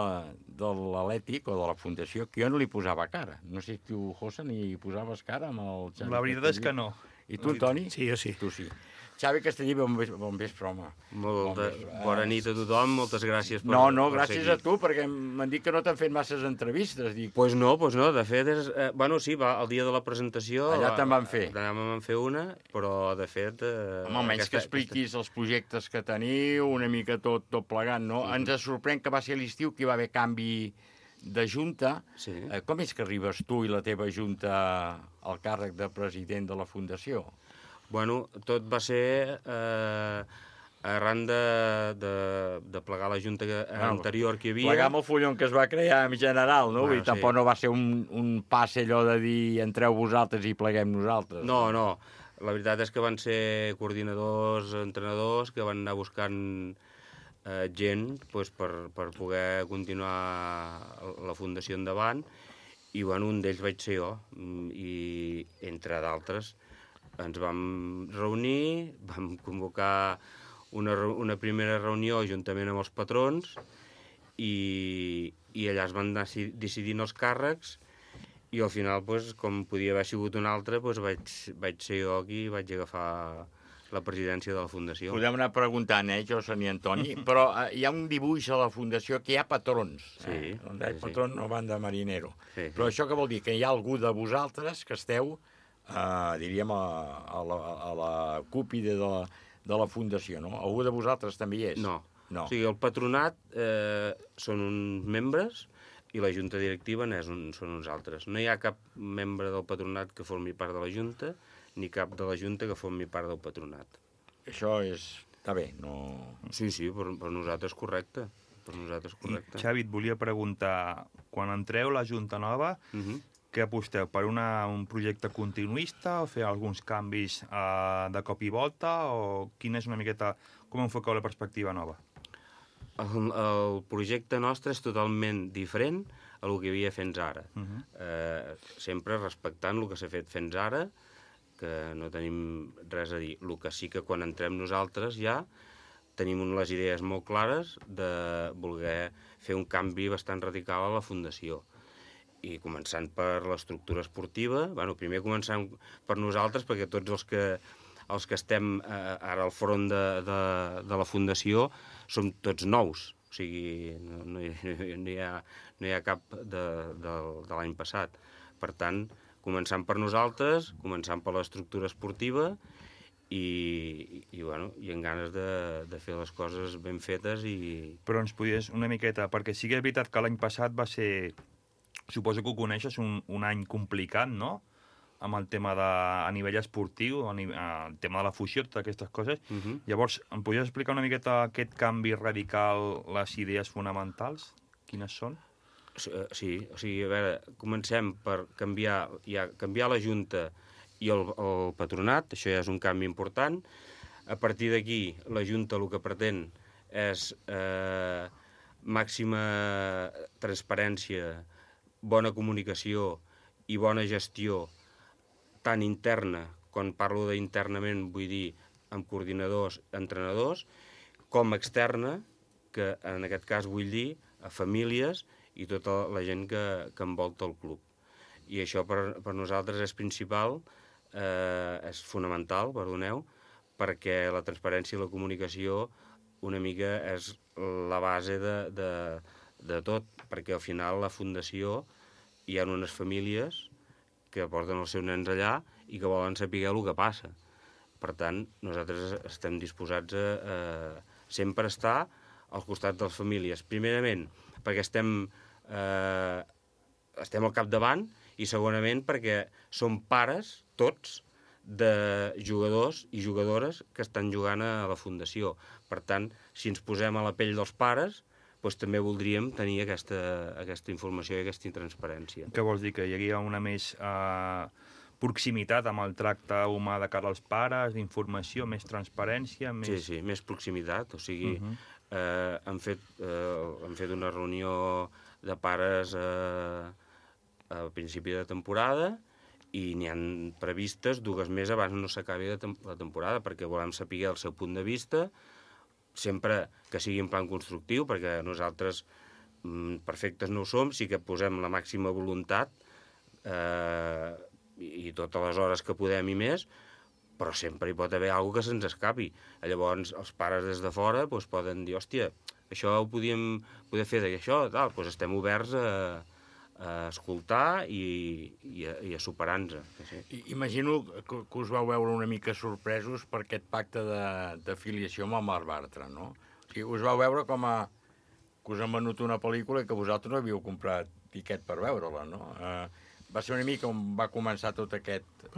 l'Atlètic, o de la Fundació, que jo no li posava cara. No sé si tu, Josan, hi posaves cara amb el Xavi. La veritat és que no. I tu, Antoni? Sí, jo sí. Tu sí. Xavi Castellí, bon vespre, home. Bona nit a tothom, moltes gràcies per... No, gràcies a tu, perquè m'han dit que no t'han fet masses entrevistes. Pues no, de fet, sí, el dia de la presentació... Allà te'n van fer. Allà me'n van fer una, però de fet... Home, almenys que expliquis els projectes que teniu, una mica tot plegat, no? Ens sorprèn que va ser l'estiu que hi va haver canvi de junta. Com és que arribes tu i la teva junta al càrrec de president de la Fundació? Bueno, tot va ser arran de plegar la junta anterior que hi havia. Plegar amb el fullon que es va crear en general, no? Vull dir, tampoc no va ser un passe allò de dir entreu vosaltres i pleguem nosaltres. No. La veritat és que van ser coordinadors, entrenadors, que van anar buscant gent per poder continuar la fundació endavant, i un d'ells vaig ser jo, i entre d'altres ens vam reunir, vam convocar una primera reunió juntament amb els patrons i allà es van anar decidint els càrrecs i al final, com podia haver sigut un altre, vaig ser jo qui vaig agafar la presidència de la Fundació. Podem anar preguntant, Josan i Antoni, però hi ha un dibuix a la Fundació que hi ha patrons. Sí. On hi ha patrón no van de marinero. Però això què vol dir? Que hi ha algú de vosaltres que esteu diríem, a la cúpide de la Fundació, no? Algú de vosaltres també hi és? No. O sigui, el patronat són uns membres i la junta directiva són uns altres. No hi ha cap membre del patronat que formi part de la junta, ni cap de la junta que formi part del patronat. Això està bé, no... Sí, per nosaltres correcte. Xavi, et volia preguntar, quan entreu la junta nova, què aposteu? Per un projecte continuista o fer alguns canvis de cop i volta? O quina és una miqueta... Com enfoqueu la perspectiva nova? El projecte nostre és totalment diferent a el que hi havia fins ara. Sempre respectant el que s'ha fet fins ara, que no tenim res a dir. El que sí que quan entrem nosaltres ja tenim les idees molt clares de voler fer un canvi bastant radical a la Fundació. I començant per l'estructura esportiva, primer començant per nosaltres, perquè tots els que estem ara al front de la Fundació som tots nous, o sigui, no hi ha cap de l'any passat. Per tant, començant per nosaltres, començant per l'estructura esportiva i amb ganes de fer les coses ben fetes. Però ens podies una miqueta, perquè sí que és veritat que l'any passat va ser suposo que ho coneixes, un any complicat, no?, amb el tema a nivell esportiu, el tema de la fusió, totes aquestes coses. Llavors, em podries explicar una miqueta aquest canvi radical, les idees fonamentals? Quines són? Sí, o sigui, a veure, comencem per canviar la Junta i el patronat, això ja és un canvi important. A partir d'aquí, la Junta el que pretén és màxima transparència, bona comunicació i bona gestió, tant interna, quan parlo d'internament vull dir amb coordinadors, entrenadors, com externa, que en aquest cas vull dir a famílies i tota la gent que envolta el club. I això per nosaltres és principal, és fonamental, perdoneu, perquè la transparència i la comunicació una mica és la base de tot, perquè al final la fundació hi ha unes famílies que porten els seus nens allà i que volen saber el que passa. Per tant, nosaltres estem disposats a sempre estar al costat de les famílies. Primerament, perquè estem al capdavant i segonament perquè som pares, tots, de jugadors i jugadores que estan jugant a la Fundació. Per tant, si ens posem a la pell dels pares, doncs també voldríem tenir aquesta informació i aquesta transparència. Què vols dir? Que hi hauria una més proximitat amb el tracte humà de cara als pares, d'informació, més transparència? Sí, més proximitat. O sigui, hem fet una reunió de pares a principi de temporada i n'hi han previstes 2 més abans no s'acabi la temporada, perquè volem saber el seu punt de vista, sempre que sigui en plan constructiu, perquè nosaltres perfectes no ho som, sí que posem la màxima voluntat i totes les hores que podem i més, però sempre hi pot haver alguna que se'ns escapi. Llavors, els pares des de fora poden dir, hòstia, això ho podíem fer d'això, tal, doncs estem oberts a escoltar i a superar-nos. Sí. Imagino que us vau veure una mica sorpresos per aquest pacte d'afiliació amb el Marc Bartra, no? O sigui, us vau veure com que us han venut una pel·lícula i que vosaltres no havíeu comprat tiquet per veure-la, no? Va ser una mica on va començar tot aquest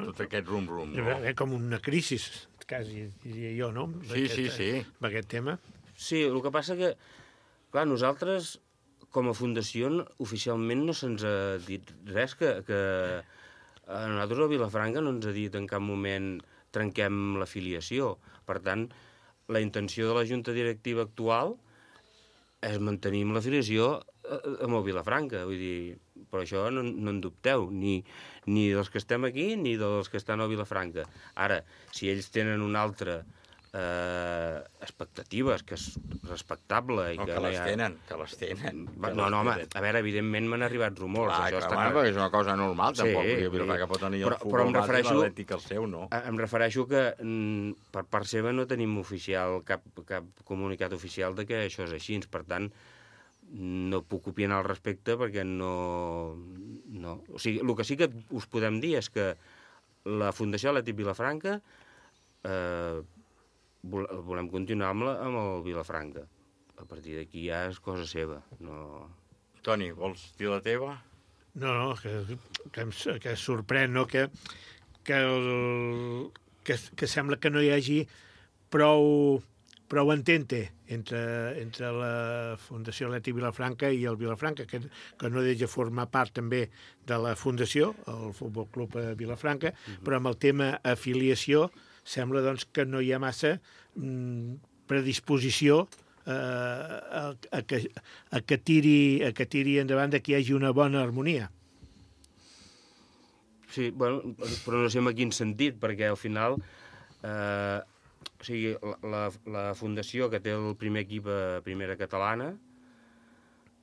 rum-rum, no? Com una crisi, quasi, diria jo, no? Sí. Per aquest tema. Sí, el que passa que, clar, nosaltres com a fundació oficialment no se'ns ha dit res, que a nosaltres a Vilafranca no ens ha dit en cap moment trenquem l'afiliació. Per tant, la intenció de la Junta Directiva actual és mantenir l'afiliació amb el Vilafranca, vull dir, però això no en dubteu, ni dels que estem aquí ni dels que estan a Vilafranca. Ara, si ells tenen una altra expectatives, que és respectable i que les tenen. No, home, a veure, evidentment m'han arribat rumors. Clar, perquè és una cosa normal, tampoc. Vilafranca pot tenir el futbol base i l'Atlètic el seu, no? Em refereixo que per part seva no tenim cap comunicat oficial de que això és així. Per tant, no puc opinar al respecte perquè no. O sigui, el que sí que us podem dir és que la Fundació Atlètic Vilafranca volem continuar amb el Vilafranca. A partir d'aquí ja és cosa seva. Toni, vols dir la teva? No, que sorprèn, no? Que sembla que no hi hagi prou entente entre la Fundació Atlètic Vilafranca i el Vilafranca, que no deixa formar part també de la Fundació, el Futbol Club Vilafranca, però amb el tema afiliació sembla doncs, que no hi ha massa predisposició a que tiri endavant que hi hagi una bona harmonia. Sí, bueno, però no sé en quin sentit, perquè al final o sigui, la fundació que té el primer equip a primera catalana,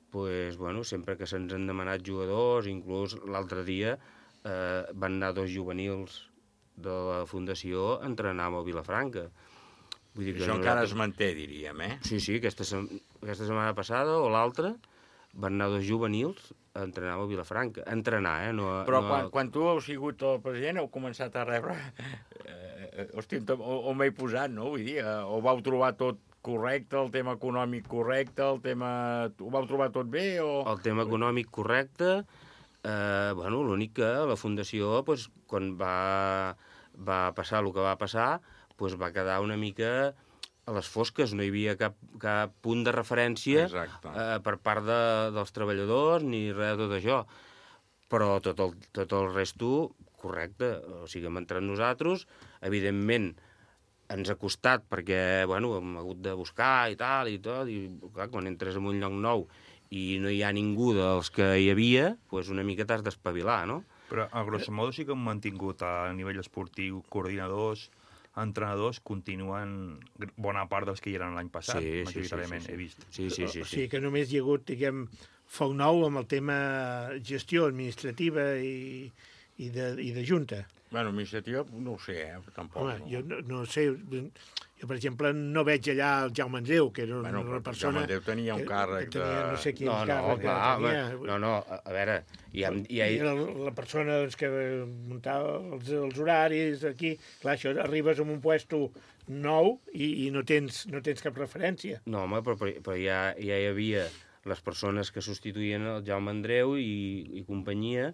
pues, bueno, sempre que se'ns han demanat jugadors, inclús l'altre dia van anar 2 juvenils de la Fundació entrenàvem a Vilafranca. Vull dir que això encara es manté, diríem, eh? Sí, aquesta setmana passada o l'altra van anar 2 juvenils a entrenar a Vilafranca. Entrenar, Però quan tu heu sigut el president heu començat a rebre... Hòstia, on m'he posat, no? Vull dir, o vau trobar tot correcte, el tema econòmic correcte, ho vau trobar tot bé o... El tema econòmic correcte L'únic que la Fundació, quan va passar el que va passar, va quedar una mica a les fosques. No hi havia cap punt de referència per part dels treballadors ni res de tot això. Però tot el resto, correcte. O sigui, hem entrat nosaltres, evidentment ens ha costat perquè, hem hagut de buscar i tal i tot, i clar, quan entres en un lloc nou i no hi ha ningú dels que hi havia, una mica t'has d'espavilar, no? Però, a grosso modo, sí que hem mantingut a nivell esportiu coordinadors, entrenadors, continuen bona part dels que hi eren l'any passat, majoritàriament, he vist. Sí. O sigui que només hi ha hagut, diguem, foc nou amb el tema gestió administrativa i de junta. Administrativa no ho sé, tampoc. Home, jo no sé... Jo, per exemple, no veig allà el Jaume Andreu, que era una persona... El Jaume Andreu tenia un càrrec de... No sé quin càrrec tenia. No, a veure... Era la persona que muntava els horaris aquí. Clar, això arribes a un puesto nou i no tens cap referència. No, home, però ja hi havia les persones que substituïen el Jaume Andreu i companyia,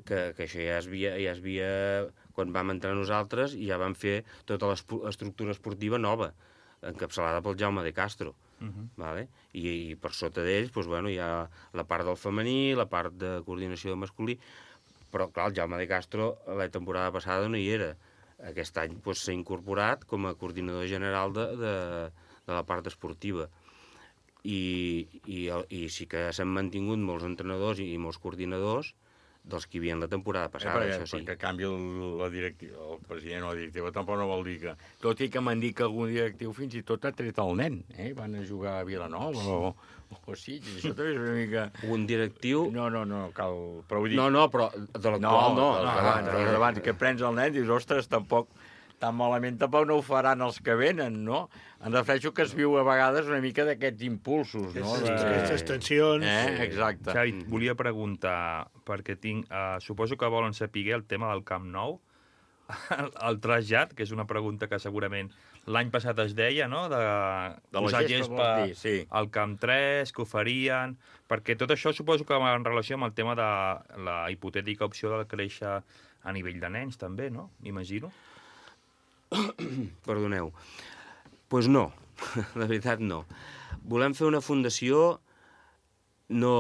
que això ja es havia... Quan vam entrar nosaltres ja vam fer tota l'estructura esportiva nova, encapçalada pel Jaume de Castro. Vale? I per sota d'ells hi ha la part del femení, la part de coordinació de masculí, però clar, el Jaume de Castro la temporada passada no hi era. Aquest any s'ha incorporat com a coordinador general de la part esportiva. I sí que s'han mantingut molts entrenadors i molts coordinadors dels que hi havia la temporada passada, això sí. Perquè canvia la directiva, el president o la directiva, tampoc no vol dir que... Tot i que m'han dit que algun directiu fins i tot ha tret el nen, van a jugar a Vilanova o sí, això també és una mica... Un directiu... No, cal... Però vull dir... No, però de l'actual no. Abans que prens el nen, dius, ostres, tampoc tan malament tampoc no ho faran els que venen, no? Em refereixo que es viu a vegades una mica d'aquests impulsos, no? Aquestes tensions. Exacte. Xavi, volia preguntar, perquè suposo que volen saber el tema del Camp Nou, el trasllat, que és una pregunta que segurament l'any passat es deia, no?, de posar gespa al Camp 3, que ho farien, perquè tot això suposo que va en relació amb el tema de la hipotètica opció de créixer a nivell de nens, també, no?, m'imagino. Perdoneu. Doncs no, la veritat no. Volem fer una fundació no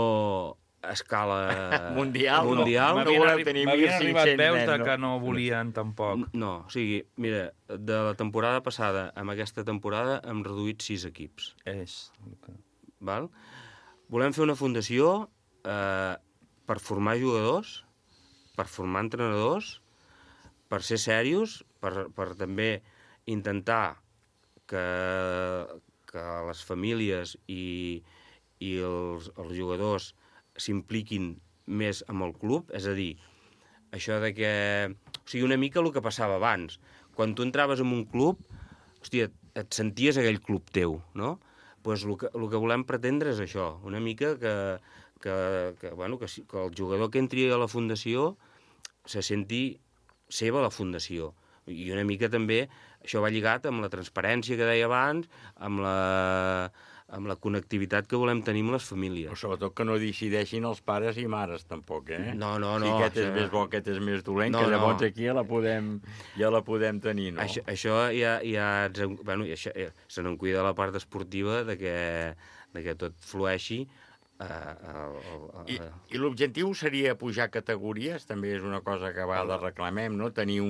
a escala mundial. No volem tenir 1.500 nens. M'havien arribat veus que no volien tampoc. No, o sigui, mira, de la temporada passada amb aquesta temporada hem reduït 6 equips. Val? Volem fer una fundació per formar jugadors, per formar entrenadors, per ser serios, per també intentar que les famílies i els jugadors s'impliquin més amb el club, és a dir, això de que... O sigui, una mica el que passava abans. Quan tu entraves en un club, hòstia, et senties aquell club teu, no? Doncs el que volem pretendre és això, una mica que el jugador que entri a la fundació se senti seva la fundació. I una mica també això va lligat amb la transparència que deia abans, amb la connectivitat que volem tenir amb les famílies. Però sobretot que no decideixin els pares i mares, tampoc, No. Si aquest és més bo, aquest és més dolent, que llavors aquí ja la podem tenir, no? Això se n'en cuida la part esportiva de que tot flueixi. I l'objectiu seria pujar categories, també és una cosa que a vegades reclamem, no? Tenir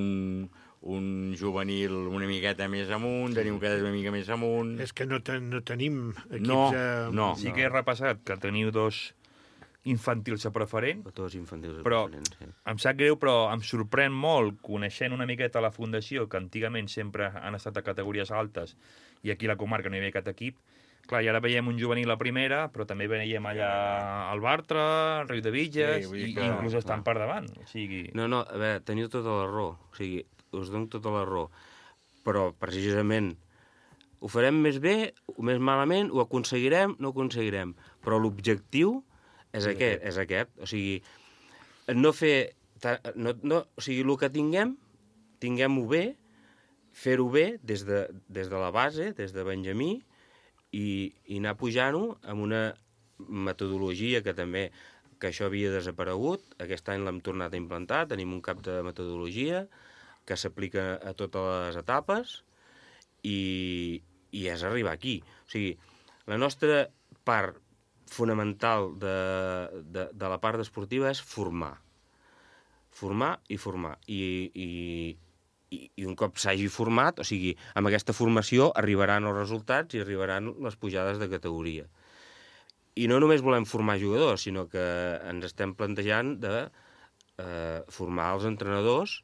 un juvenil una miqueta més amunt, tenir un cadet una mica més amunt... És que no tenim equips... No. Sí que he repassat que teniu 2 infantils a preferent, però em sap greu, però em sorprèn molt, coneixent una miqueta la fundació, que antigament sempre han estat a categories altes, i aquí a la comarca no hi havia cap equip. Clar, i ara veiem un juvenil a primera, però també veiem allà al Bartra, al Riu de Villas, i inclús estan per davant. O sigui... No, a veure, teniu tota la raó. O sigui, us dono tota la raó. Però, precisament, ho farem més bé o més malament, ho aconseguirem, no ho aconseguirem. Però l'objectiu és aquest. O sigui, no fer... o sigui, el que tinguem-ho bé, fer-ho bé des de la base, des de Benjamí, i anar pujant-ho amb una metodologia que que això havia desaparegut. Aquest any l'hem tornat a implantar. Tenim un cap de metodologia que s'aplica a totes les etapes i és arribar aquí. O sigui, la nostra part fonamental de la part esportiva és formar. Formar i formar. I un cop s'hagi format, o sigui, amb aquesta formació arribaran els resultats i arribaran les pujades de categoria. I no només volem formar jugadors, sinó que ens estem plantejant de formar els entrenadors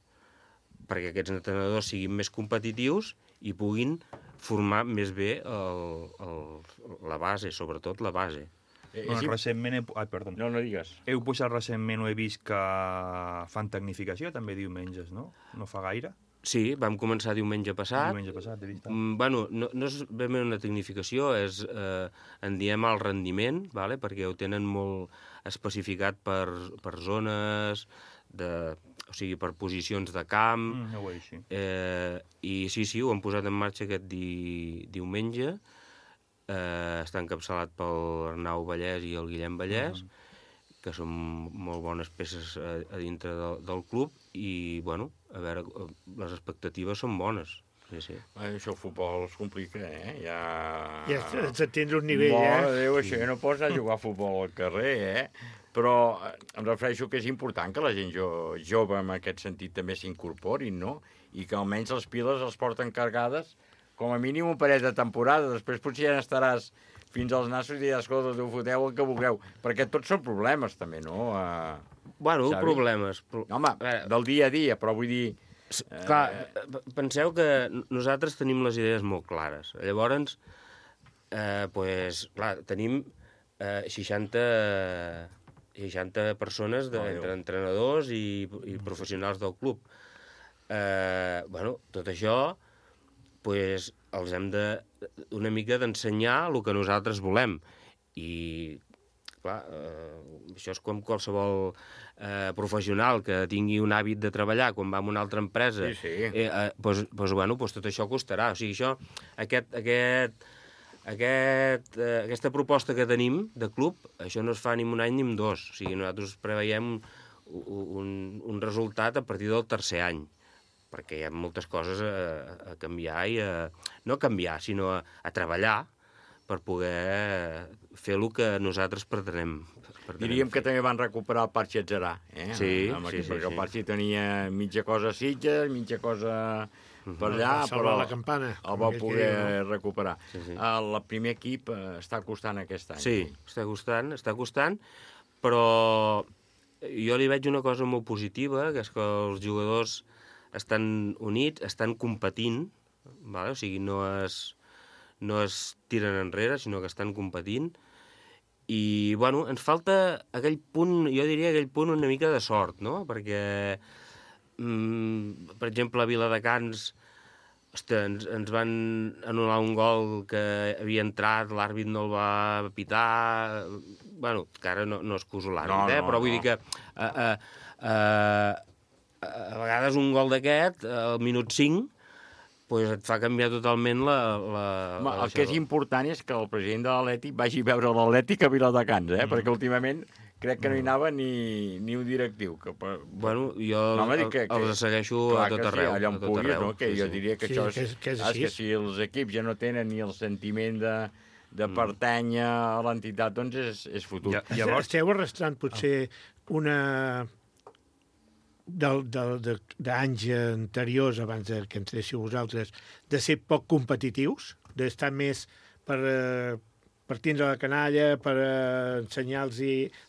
perquè aquests entrenadors siguin més competitius i puguin formar més bé la base, sobretot la base. Recentment... perdó. No digues. Heu posat recentment, ho he vist, que fan tecnificació, també diumenges, no? No fa gaire? Sí, vam començar diumenge passat. Diumenge passat, he vist. Bueno, no és ben bé una tecnificació, en diem el rendiment, vale? Perquè ho tenen molt especificat per zones, o sigui, per posicions de camp. No ho és, sí. I sí, ho hem posat en marxa aquest diumenge. Està encapçalat pel Arnau Vallès i el Guillem Vallès, que són molt bones peces a dintre del club, i, bueno, a veure, les expectatives són bones. Sí. Això el futbol es complica, Ja ets a tindre un nivell, Mare de Déu, això ja no pots anar a jugar a futbol al carrer, Però em refereixo que és important que la gent jove en aquest sentit també s'incorporin, no? I que almenys les piles els porten cargades com a mínim un parell de temporades. Després potser ja estaràs fins als nassos i diràs, escolta, ho foteu el que vulgueu. Perquè tots són problemes, també, no? Bueno, Xavi? Problemes. Home, del dia a dia, però vull dir... Clar, penseu que nosaltres tenim les idees molt clares. Llavors, clar, tenim 60 persones entre entrenadors i professionals del club. Bueno, tot això els hem una mica d'ensenyar el que nosaltres volem. I, clar, això és com qualsevol professional que tingui un hàbit de treballar quan va a una altra empresa. Doncs tot això costarà. O sigui, aquesta proposta que tenim de club, això no es fa ni en un any ni en dos. O sigui, nosaltres preveiem un resultat a partir del tercer any, perquè hi ha moltes coses a canviar no a canviar, sinó a treballar per poder fer el que nosaltres pretenem. Diríem que també van recuperar el Parxi Atzerà, Sí. Perquè el Parxi tenia mitja cosa a Sitges, mitja cosa per allà, però el va poder recuperar. El primer equip està costant aquest any. Sí, està costant, però jo li veig una cosa molt positiva, que és que els jugadors estan units, estan competint, o sigui, no es tiren enrere, sinó que estan competint, i, bueno, ens falta aquell punt, jo diria aquell punt una mica de sort, no? Perquè, per exemple, a Viladecans ens van anul·lar un gol que havia entrat, l'àrbit no el va pitar, bueno, que ara no excuso l'àrbit, però vull dir que a vegades un gol d'aquest, al minut 5, et fa canviar totalment el que és important és que el president de l'Atlètic vagi a veure l'Atlètic a Viladecans, perquè últimament crec que no hi anava ni un directiu. Bueno, jo els segueixo a tot arreu. Allà on puguis, no? Jo diria que això és que si els equips ja no tenen ni el sentiment de pertànyer a l'entitat, doncs és futur. Esteu arrastrant potser una... d'anys anteriors, abans que ens deixiu vosaltres, de ser poc competitius, d'estar més per tindre la canalla, per ensenyar-los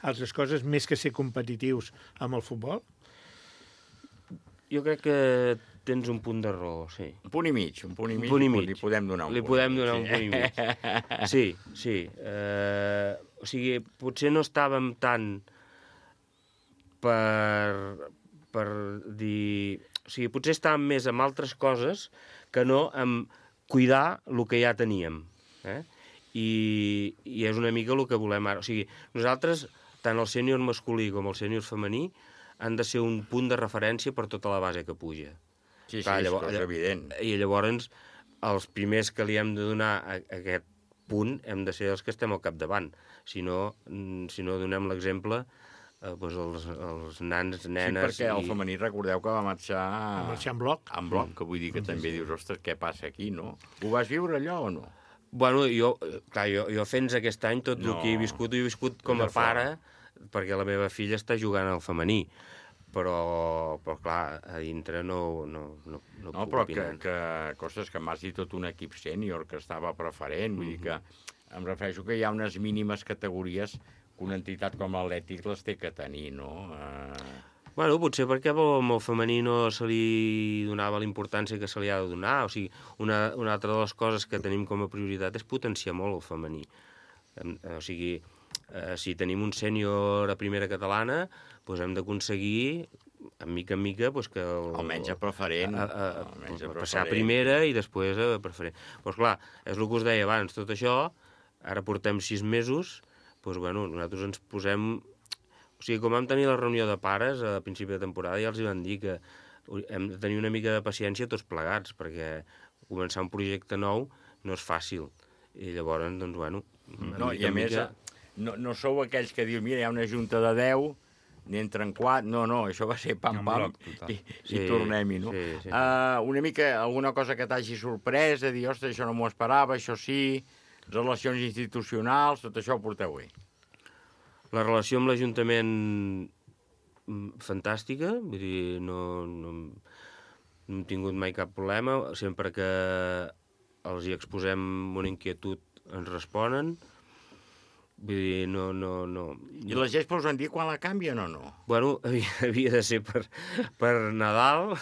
altres coses, més que ser competitius amb el futbol? Jo crec que tens un punt de raó, sí. Un punt i mig. Li podem donar un punt. Li podem donar un punt i mig. Sí. O sigui, potser no estàvem tant per dir... O sigui, potser estàvem més amb altres coses que no amb cuidar el que ja teníem. I és una mica el que volem ara. O sigui, nosaltres, tant el sènior masculí com el sènior femení, han de ser un punt de referència per tota la base que puja. Sí, és evident. I llavors, els primers que li hem de donar aquest punt hem de ser els que estem al capdavant. Si no donem l'exemple els nans, nenes... Sí, perquè el femení, recordeu que va marxar... Va marxar en bloc. En bloc, que vull dir que també dius, ostres, què passa aquí, no? Ho vas viure allò o no? Bueno, jo fins aquest any, tot el que he viscut com a pare, perquè la meva filla està jugant al femení. Però clar, a dintre no puc opinar. Però que m'has dit tot un equip sènior que estava preferent, vull dir que em refereixo que hi ha unes mínimes categories que una entitat com l'Atlètic les té que tenir, no? Bueno, potser perquè amb el femení no se li donava la importància que se li ha de donar. O sigui, una altra de les coses que tenim com a prioritat és potenciar molt el femení. O sigui, si tenim un sènior a primera catalana, doncs hem d'aconseguir, mica en mica, que... Almenys a preferent. Passar a primera i després a preferent. Doncs clar, és el que us deia abans, tot això, ara portem 6 mesos, doncs bueno, nosaltres ens posem... O sigui, com vam tenir la reunió de pares a principi de temporada, ja els van dir que hem de tenir una mica de paciència tots plegats, perquè començar un projecte nou no és fàcil. I llavors, doncs, bueno... No, i a més, no sou aquells que dius, mira, hi ha una junta de 10, n'entren 4... No, això va ser pam-pam i tornem-hi, no? Una mica, alguna cosa que t'hagi sorprès, de dir, ostres, això no m'ho esperava, això sí, relacions institucionals, tot això ho porteu bé. La relació amb l'Ajuntament fantàstica, vull dir, no hem tingut mai cap problema, sempre que els hi exposem una inquietud ens responen. Vull dir, no... I la GESPA us han dit quan la canvien o no? Bueno, havia de ser per Nadal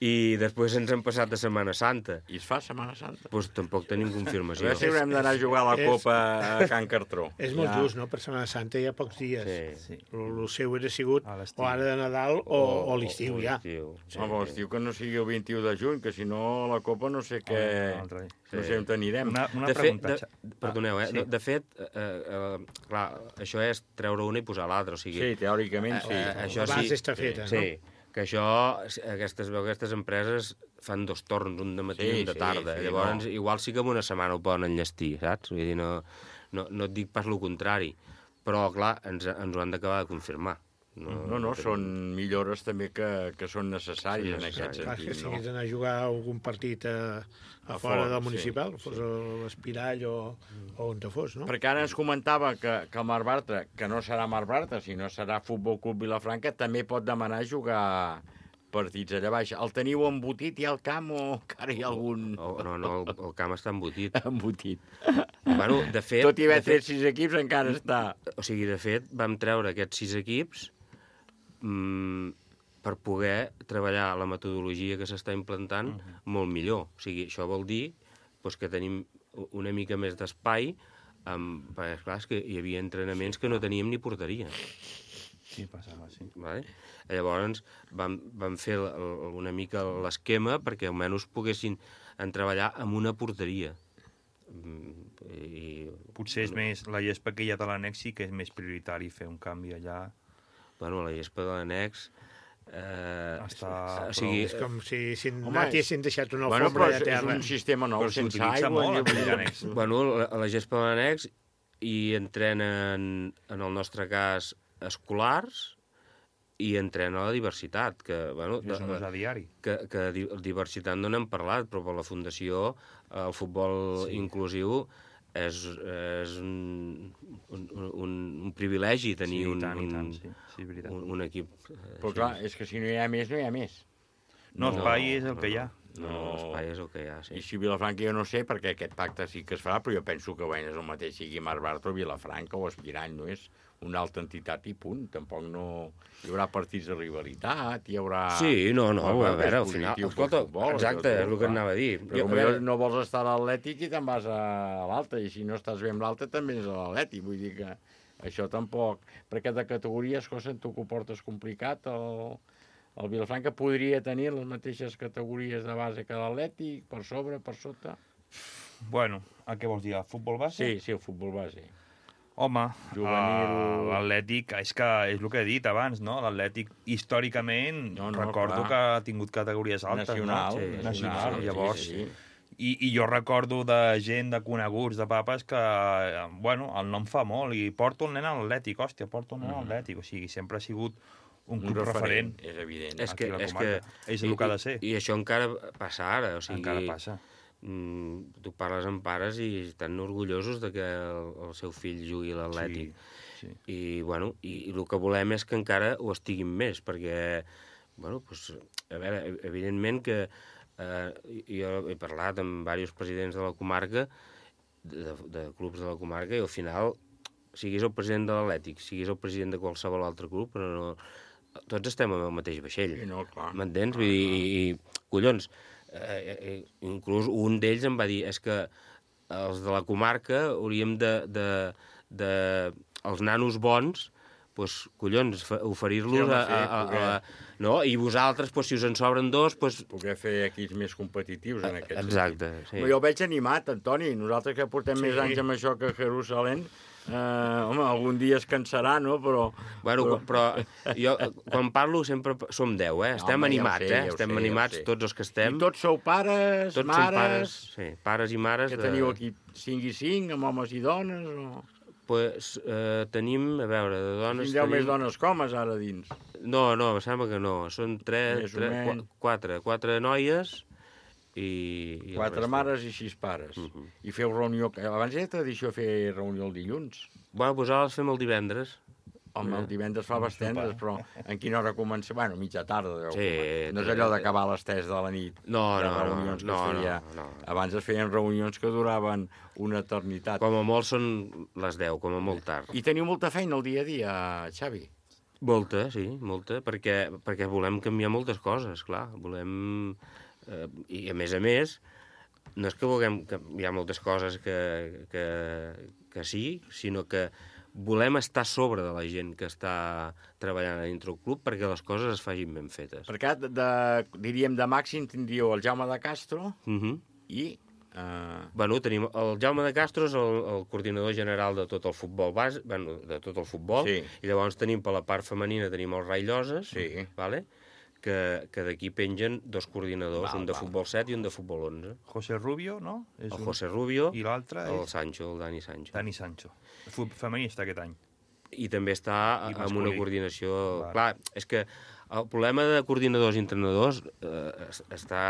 i després ens han passat a Setmana Santa. I es fa Setmana Santa? Doncs tampoc tenim confirmació. A veure si haurem d'anar a jugar a la Copa a Can Cartró. És molt just, no? Per Setmana Santa hi ha pocs dies. El seu era sigut o ara de Nadal o l'estiu, ja. Home, l'estiu que no sigui el 21 de juny, que si no la Copa no sé què... No sé on anirem. Una pregunta. Perdoneu, de fet, clar, això és treure una i posar l'altra. Sí, teòricament sí. Això la base està feta, no? Sí, que això, aquestes empreses fan 2 torns, un de matí i un de tarda. Llavors, igual sí que en una setmana ho poden enllestir, saps? Vull dir, no et dic pas el contrari, però, clar, ens ho han d'acabar de confirmar. No, són millores també que són necessàries en aquest sentit. Clar, que si hagués d'anar a jugar algun partit a fora del municipal, fos a l'Espirall o on te fos, no? Perquè ara ens comentava que el Marc Bartra, que no serà Marc Bartra, sinó serà Futbol Club Vilafranca, també pot demanar jugar partits allà baix. El teniu embotit ja al camp o encara hi ha algun... No, el camp està embotit. Embotit. Bueno, de fet... Tot i haver tret 6 equips encara està... O sigui, de fet, vam treure aquests 6 equips per poder treballar la metodologia que s'està implantant molt millor. O sigui, això vol dir que tenim una mica més d'espai, perquè, clar, és que hi havia entrenaments que no teníem ni porteria. Sí, passava, sí. Vale? Llavors vam fer una mica l'esquema perquè almenys poguessin treballar amb una porteria. Potser és més la gespa que hi ha de l'annex, sí que és més prioritari fer un canvi allà. Bueno, la gespa de l'annex... És com si n'haguessin deixat una alfombra de terra. És un sistema nou, sense aigua. Bueno, la gespa de l'annex hi entrenen, en el nostre cas, escolars i entrena la diversitat. Que, bueno, és un ús a diari. Que diversitat no n'hem parlat, però per la Fundació el futbol inclusiu és un privilegi tenir un equip. Però clar, és que si no hi ha més, no hi ha més. No, espai és el que hi ha. No, espai és el que hi ha, sí. I si Vilafranca jo no sé, perquè aquest pacte sí que es farà, però jo penso que és el mateix, sigui Marc Bartra o Vilafranca o Aspirant, no és una altra entitat i punt. Tampoc no... Hi haurà partits de rivalitat, hi haurà... Sí, no, a veure, al final... Escolta, exacte, és el que anava a dir. Però no vols estar a l'Atlètic i te'n vas a l'altre, i si no estàs bé amb l'altre també és a l'Atlètic, vull dir que això tampoc... Perquè de categories, cosa, tu que ho portes complicat, el Vilafranca podria tenir les mateixes categories de base que l'Atlètic, per sobre, per sota... Bueno, a què vols dir, el futbol base? Sí, el futbol base. Home, l'Atlètic, és que és el que he dit abans, no? L'Atlètic, històricament, recordo que ha tingut categories altes. Nacional. Nacional, llavors... I jo recordo de gent, de coneguts, de papes, que, bueno, el nom fa molt, i porto el nen a l'Atlètic, hòstia, porto el nen a l'Atlètic, o sigui, sempre ha sigut un club referent. És evident. És que és el que ha de ser. I això encara passa ara, o sigui... Encara passa. Tu parles amb pares i estan orgullosos de que el seu fill jugui a l'Atlètic. Sí. I, bueno, i el que volem és que encara ho estiguin més, perquè, bueno, doncs, a veure, evidentment que jo he parlat amb diversos presidents de la comarca, de clubs de la comarca, i al final, siguis el president de l'Atlètic, siguis el president de qualsevol altre club, però no... Tots estem en el mateix vaixell. Sí, no, clar. M'entens? Vull dir, collons, inclús un d'ells em va dir és que els de la comarca hauríem els nanos bons, doncs, collons, oferir-los no? I vosaltres, si us en sobren dos... Poder fer equips més competitius en aquest sentit. Exacte, sí. Jo el veig animat, Antoni. Nosaltres que portem més anys amb això que Jerusalem, home, algun dia es cansarà, no? Bueno, però jo, quan parlo, sempre som 10, eh? Estem animats, Estem animats tots els que estem. I tots sou pares, tots mares... Sí, pares i mares. Que teniu aquí 5 i 5, amb homes i dones, o...? Pues tenim, a veure, de dones... Tindreu més dones que homes ara dins? No, em sembla que no. Són 4 noies i 4 mares i 6 pares. I feu reunió... Abans era tradició fer reunió el dilluns. Bueno, doncs ara les fem el divendres. Home, el divendres fa bastantes, però en quina hora comença? Bueno, mitja tarda. Sí. No és allò d'acabar a les 3 de la nit. No. Abans es feien reunions que duraven una eternitat. Com a molt són les 10, com a molt tard. I teniu molta feina el dia a dia, Xavi? Molta, sí, molta, perquè volem canviar moltes coses, clar. Volem... I a més, no és que vulguem canviar moltes coses que sí, sinó que volem estar a sobre de la gent que està treballant dintre el club perquè les coses es facin ben fetes. Perquè, diríem, de màxim tindríeu el Jaume de Castro i... Bueno, tenim el Jaume de Castro és el coordinador general de tot el futbol base, bueno, de tot el futbol, sí. I llavors tenim per la part femenina tenim el Rai Lloses, sí. Vale? Que d'aquí pengen 2 coordinadors, un de futbol 7 i un de futbol 11. José Rubio, no? José Rubio i l'altre el Sancho, el Dani Sancho. Dani Sancho. Femení està aquest any. I també està amb una coordinació... Clar, és que el problema de coordinadors i entrenadors està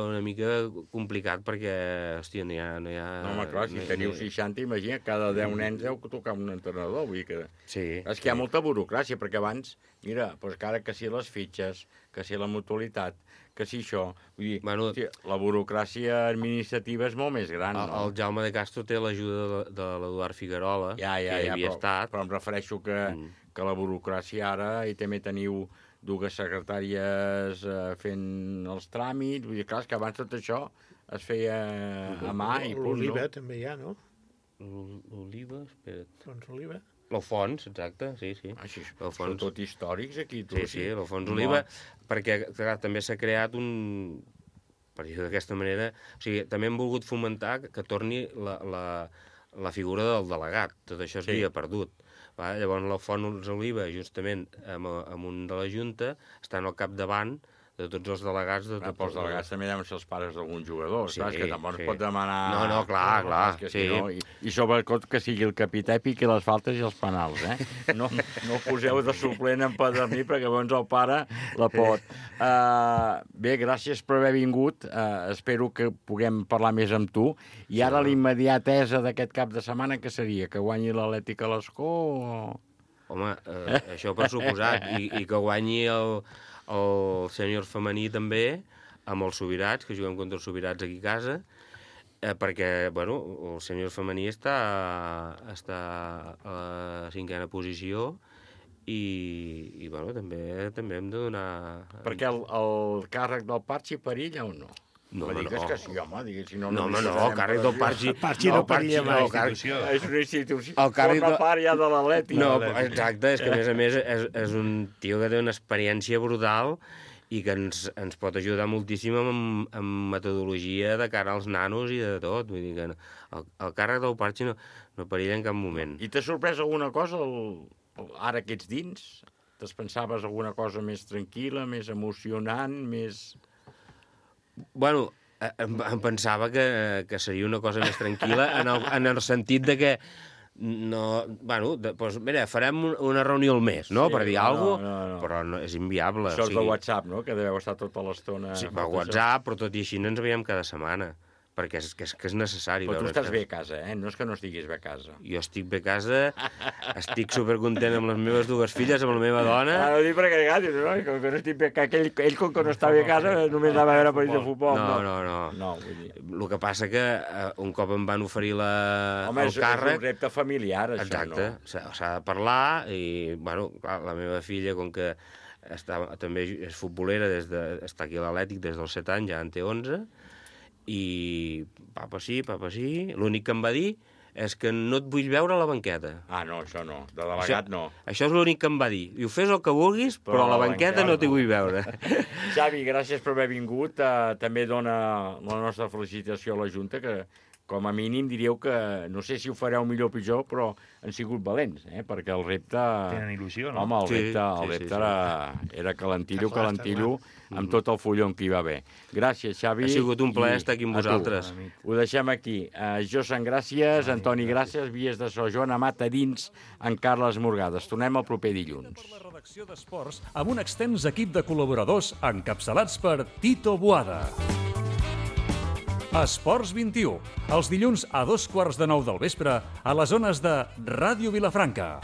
una mica complicat perquè, hòstia, no hi ha... No, home, clar, si teniu 60, imagina, cada 10 nens heu tocar un entrenador, vull dir que... Sí. És que hi ha molta burocràcia, perquè abans, mira, doncs que ara que si les fitxes, que si la mutualitat, que si això... Vull dir, bueno, la burocràcia administrativa és molt més gran, no? El Jaume de Castro té l'ajuda de l'Eduard Figuerola, que havia estat... Però em refereixo que la burocràcia ara, i també teniu 2 secretàries fent els tràmits, vull dir, clar, que abans tot això es feia a mà i punt, no? L'Oliva també hi ha, no? L'Oliva, espera't. Doncs Oliva. L'Alfons, exacte, sí. Són tot històrics, aquí. Sí, l'Alfons Oliva, perquè clar, també s'ha creat per dir-ho d'aquesta manera, o sigui, també hem volgut fomentar que torni la figura del delegat, tot això s'havia perdut. Llavors l'Alfons Oliva, justament amb un de la Junta, estan al capdavant de tots els delegats... Els delegats també deuen ser els pares d'algun jugador, saps? Que tampoc es pot demanar... No, clar, sí. I sobretot que sigui el capità i piqui les faltes i els penals, No poseu de suplent en Pederní, perquè llavors el pare la pot. Bé, gràcies per haver vingut. Espero que puguem parlar més amb tu. I ara l'immediatesa d'aquest cap de setmana, què seria? Que guanyi l'Atlètic a l'Escó o...? Home, això per suposat. I que guanyi el sènior femení també, amb els Subirats, que juguem contra els Subirats aquí a casa, perquè, bueno, el sènior femení està a la 5a posició i bueno, també hem de donar... Perquè el càrrec del Parchi perilla o no? No, digues que sí, home, digues, si no... No, el càrrec del Parchi... Parchi no perilla mai. És una institució. Forma part ja de l'Atlètic. No, exacte, és que a més és un tio que té una experiència brutal i que ens pot ajudar moltíssim en metodologia de cara als nanos i de tot. Vull dir que el càrrec del Parchi no perilla en cap moment. I t'ha sorprès alguna cosa ara que ets dins? Te'n pensaves alguna cosa més tranquil·la, més emocionant, més... Bueno, Em pensava que seria una cosa més tranquil·la en el sentit de que no, bueno, doncs mira, farem una reunió al mes, no?, per dir alguna cosa, però no, és inviable. Això és de WhatsApp, no?, que deveu estar tota l'estona... Sí, per WhatsApp, però tot i així no ens veiem cada setmana, perquè és necessari. Però tu estàs bé a casa, no és que no estiguis bé a casa. Jo estic bé a casa, estic supercontent amb les meves dues filles, amb la meva dona... No dic perquè com que no estic bé, que ell com que no està bé a casa només anava a veure partits de futbol. No. El que passa que un cop em van oferir el càrrec... És un repte familiar, això, exacte, no? S'ha de parlar i, bueno, clar, la meva filla, com que també és futbolera, està aquí a l'Atlètic des dels 7 anys, ja en té 11, i papa sí, l'únic que em va dir és que no et vull veure a la banqueta. Ah, no, això no, de delegat no. Això és l'únic que em va dir. Diu, fes el que vulguis, però a la banqueta no t'hi vull veure. Xavi, gràcies per haver vingut. També dona la nostra felicitació a la Junta, que com a mínim diríeu que, no sé si ho fareu millor o pitjor, però han sigut valents, perquè el repte... Tenen il·lusió, no? Home, el repte era calentillo, amb tot el follon que hi va haver. Gràcies, Xavi. Ha sigut un plaer estar aquí amb vosaltres. Ho deixem aquí. Josan, gràcies. Antoni, gràcies. Vies de so. Joan Amat a dins, en Carles Morgades. Tornem el proper dilluns. Per la redacció d'Esports, amb un extens equip de col·laboradors encapçalats per Tito Boada. Esports 21, els dilluns a 8:15 del vespre a les zones de Ràdio Vilafranca.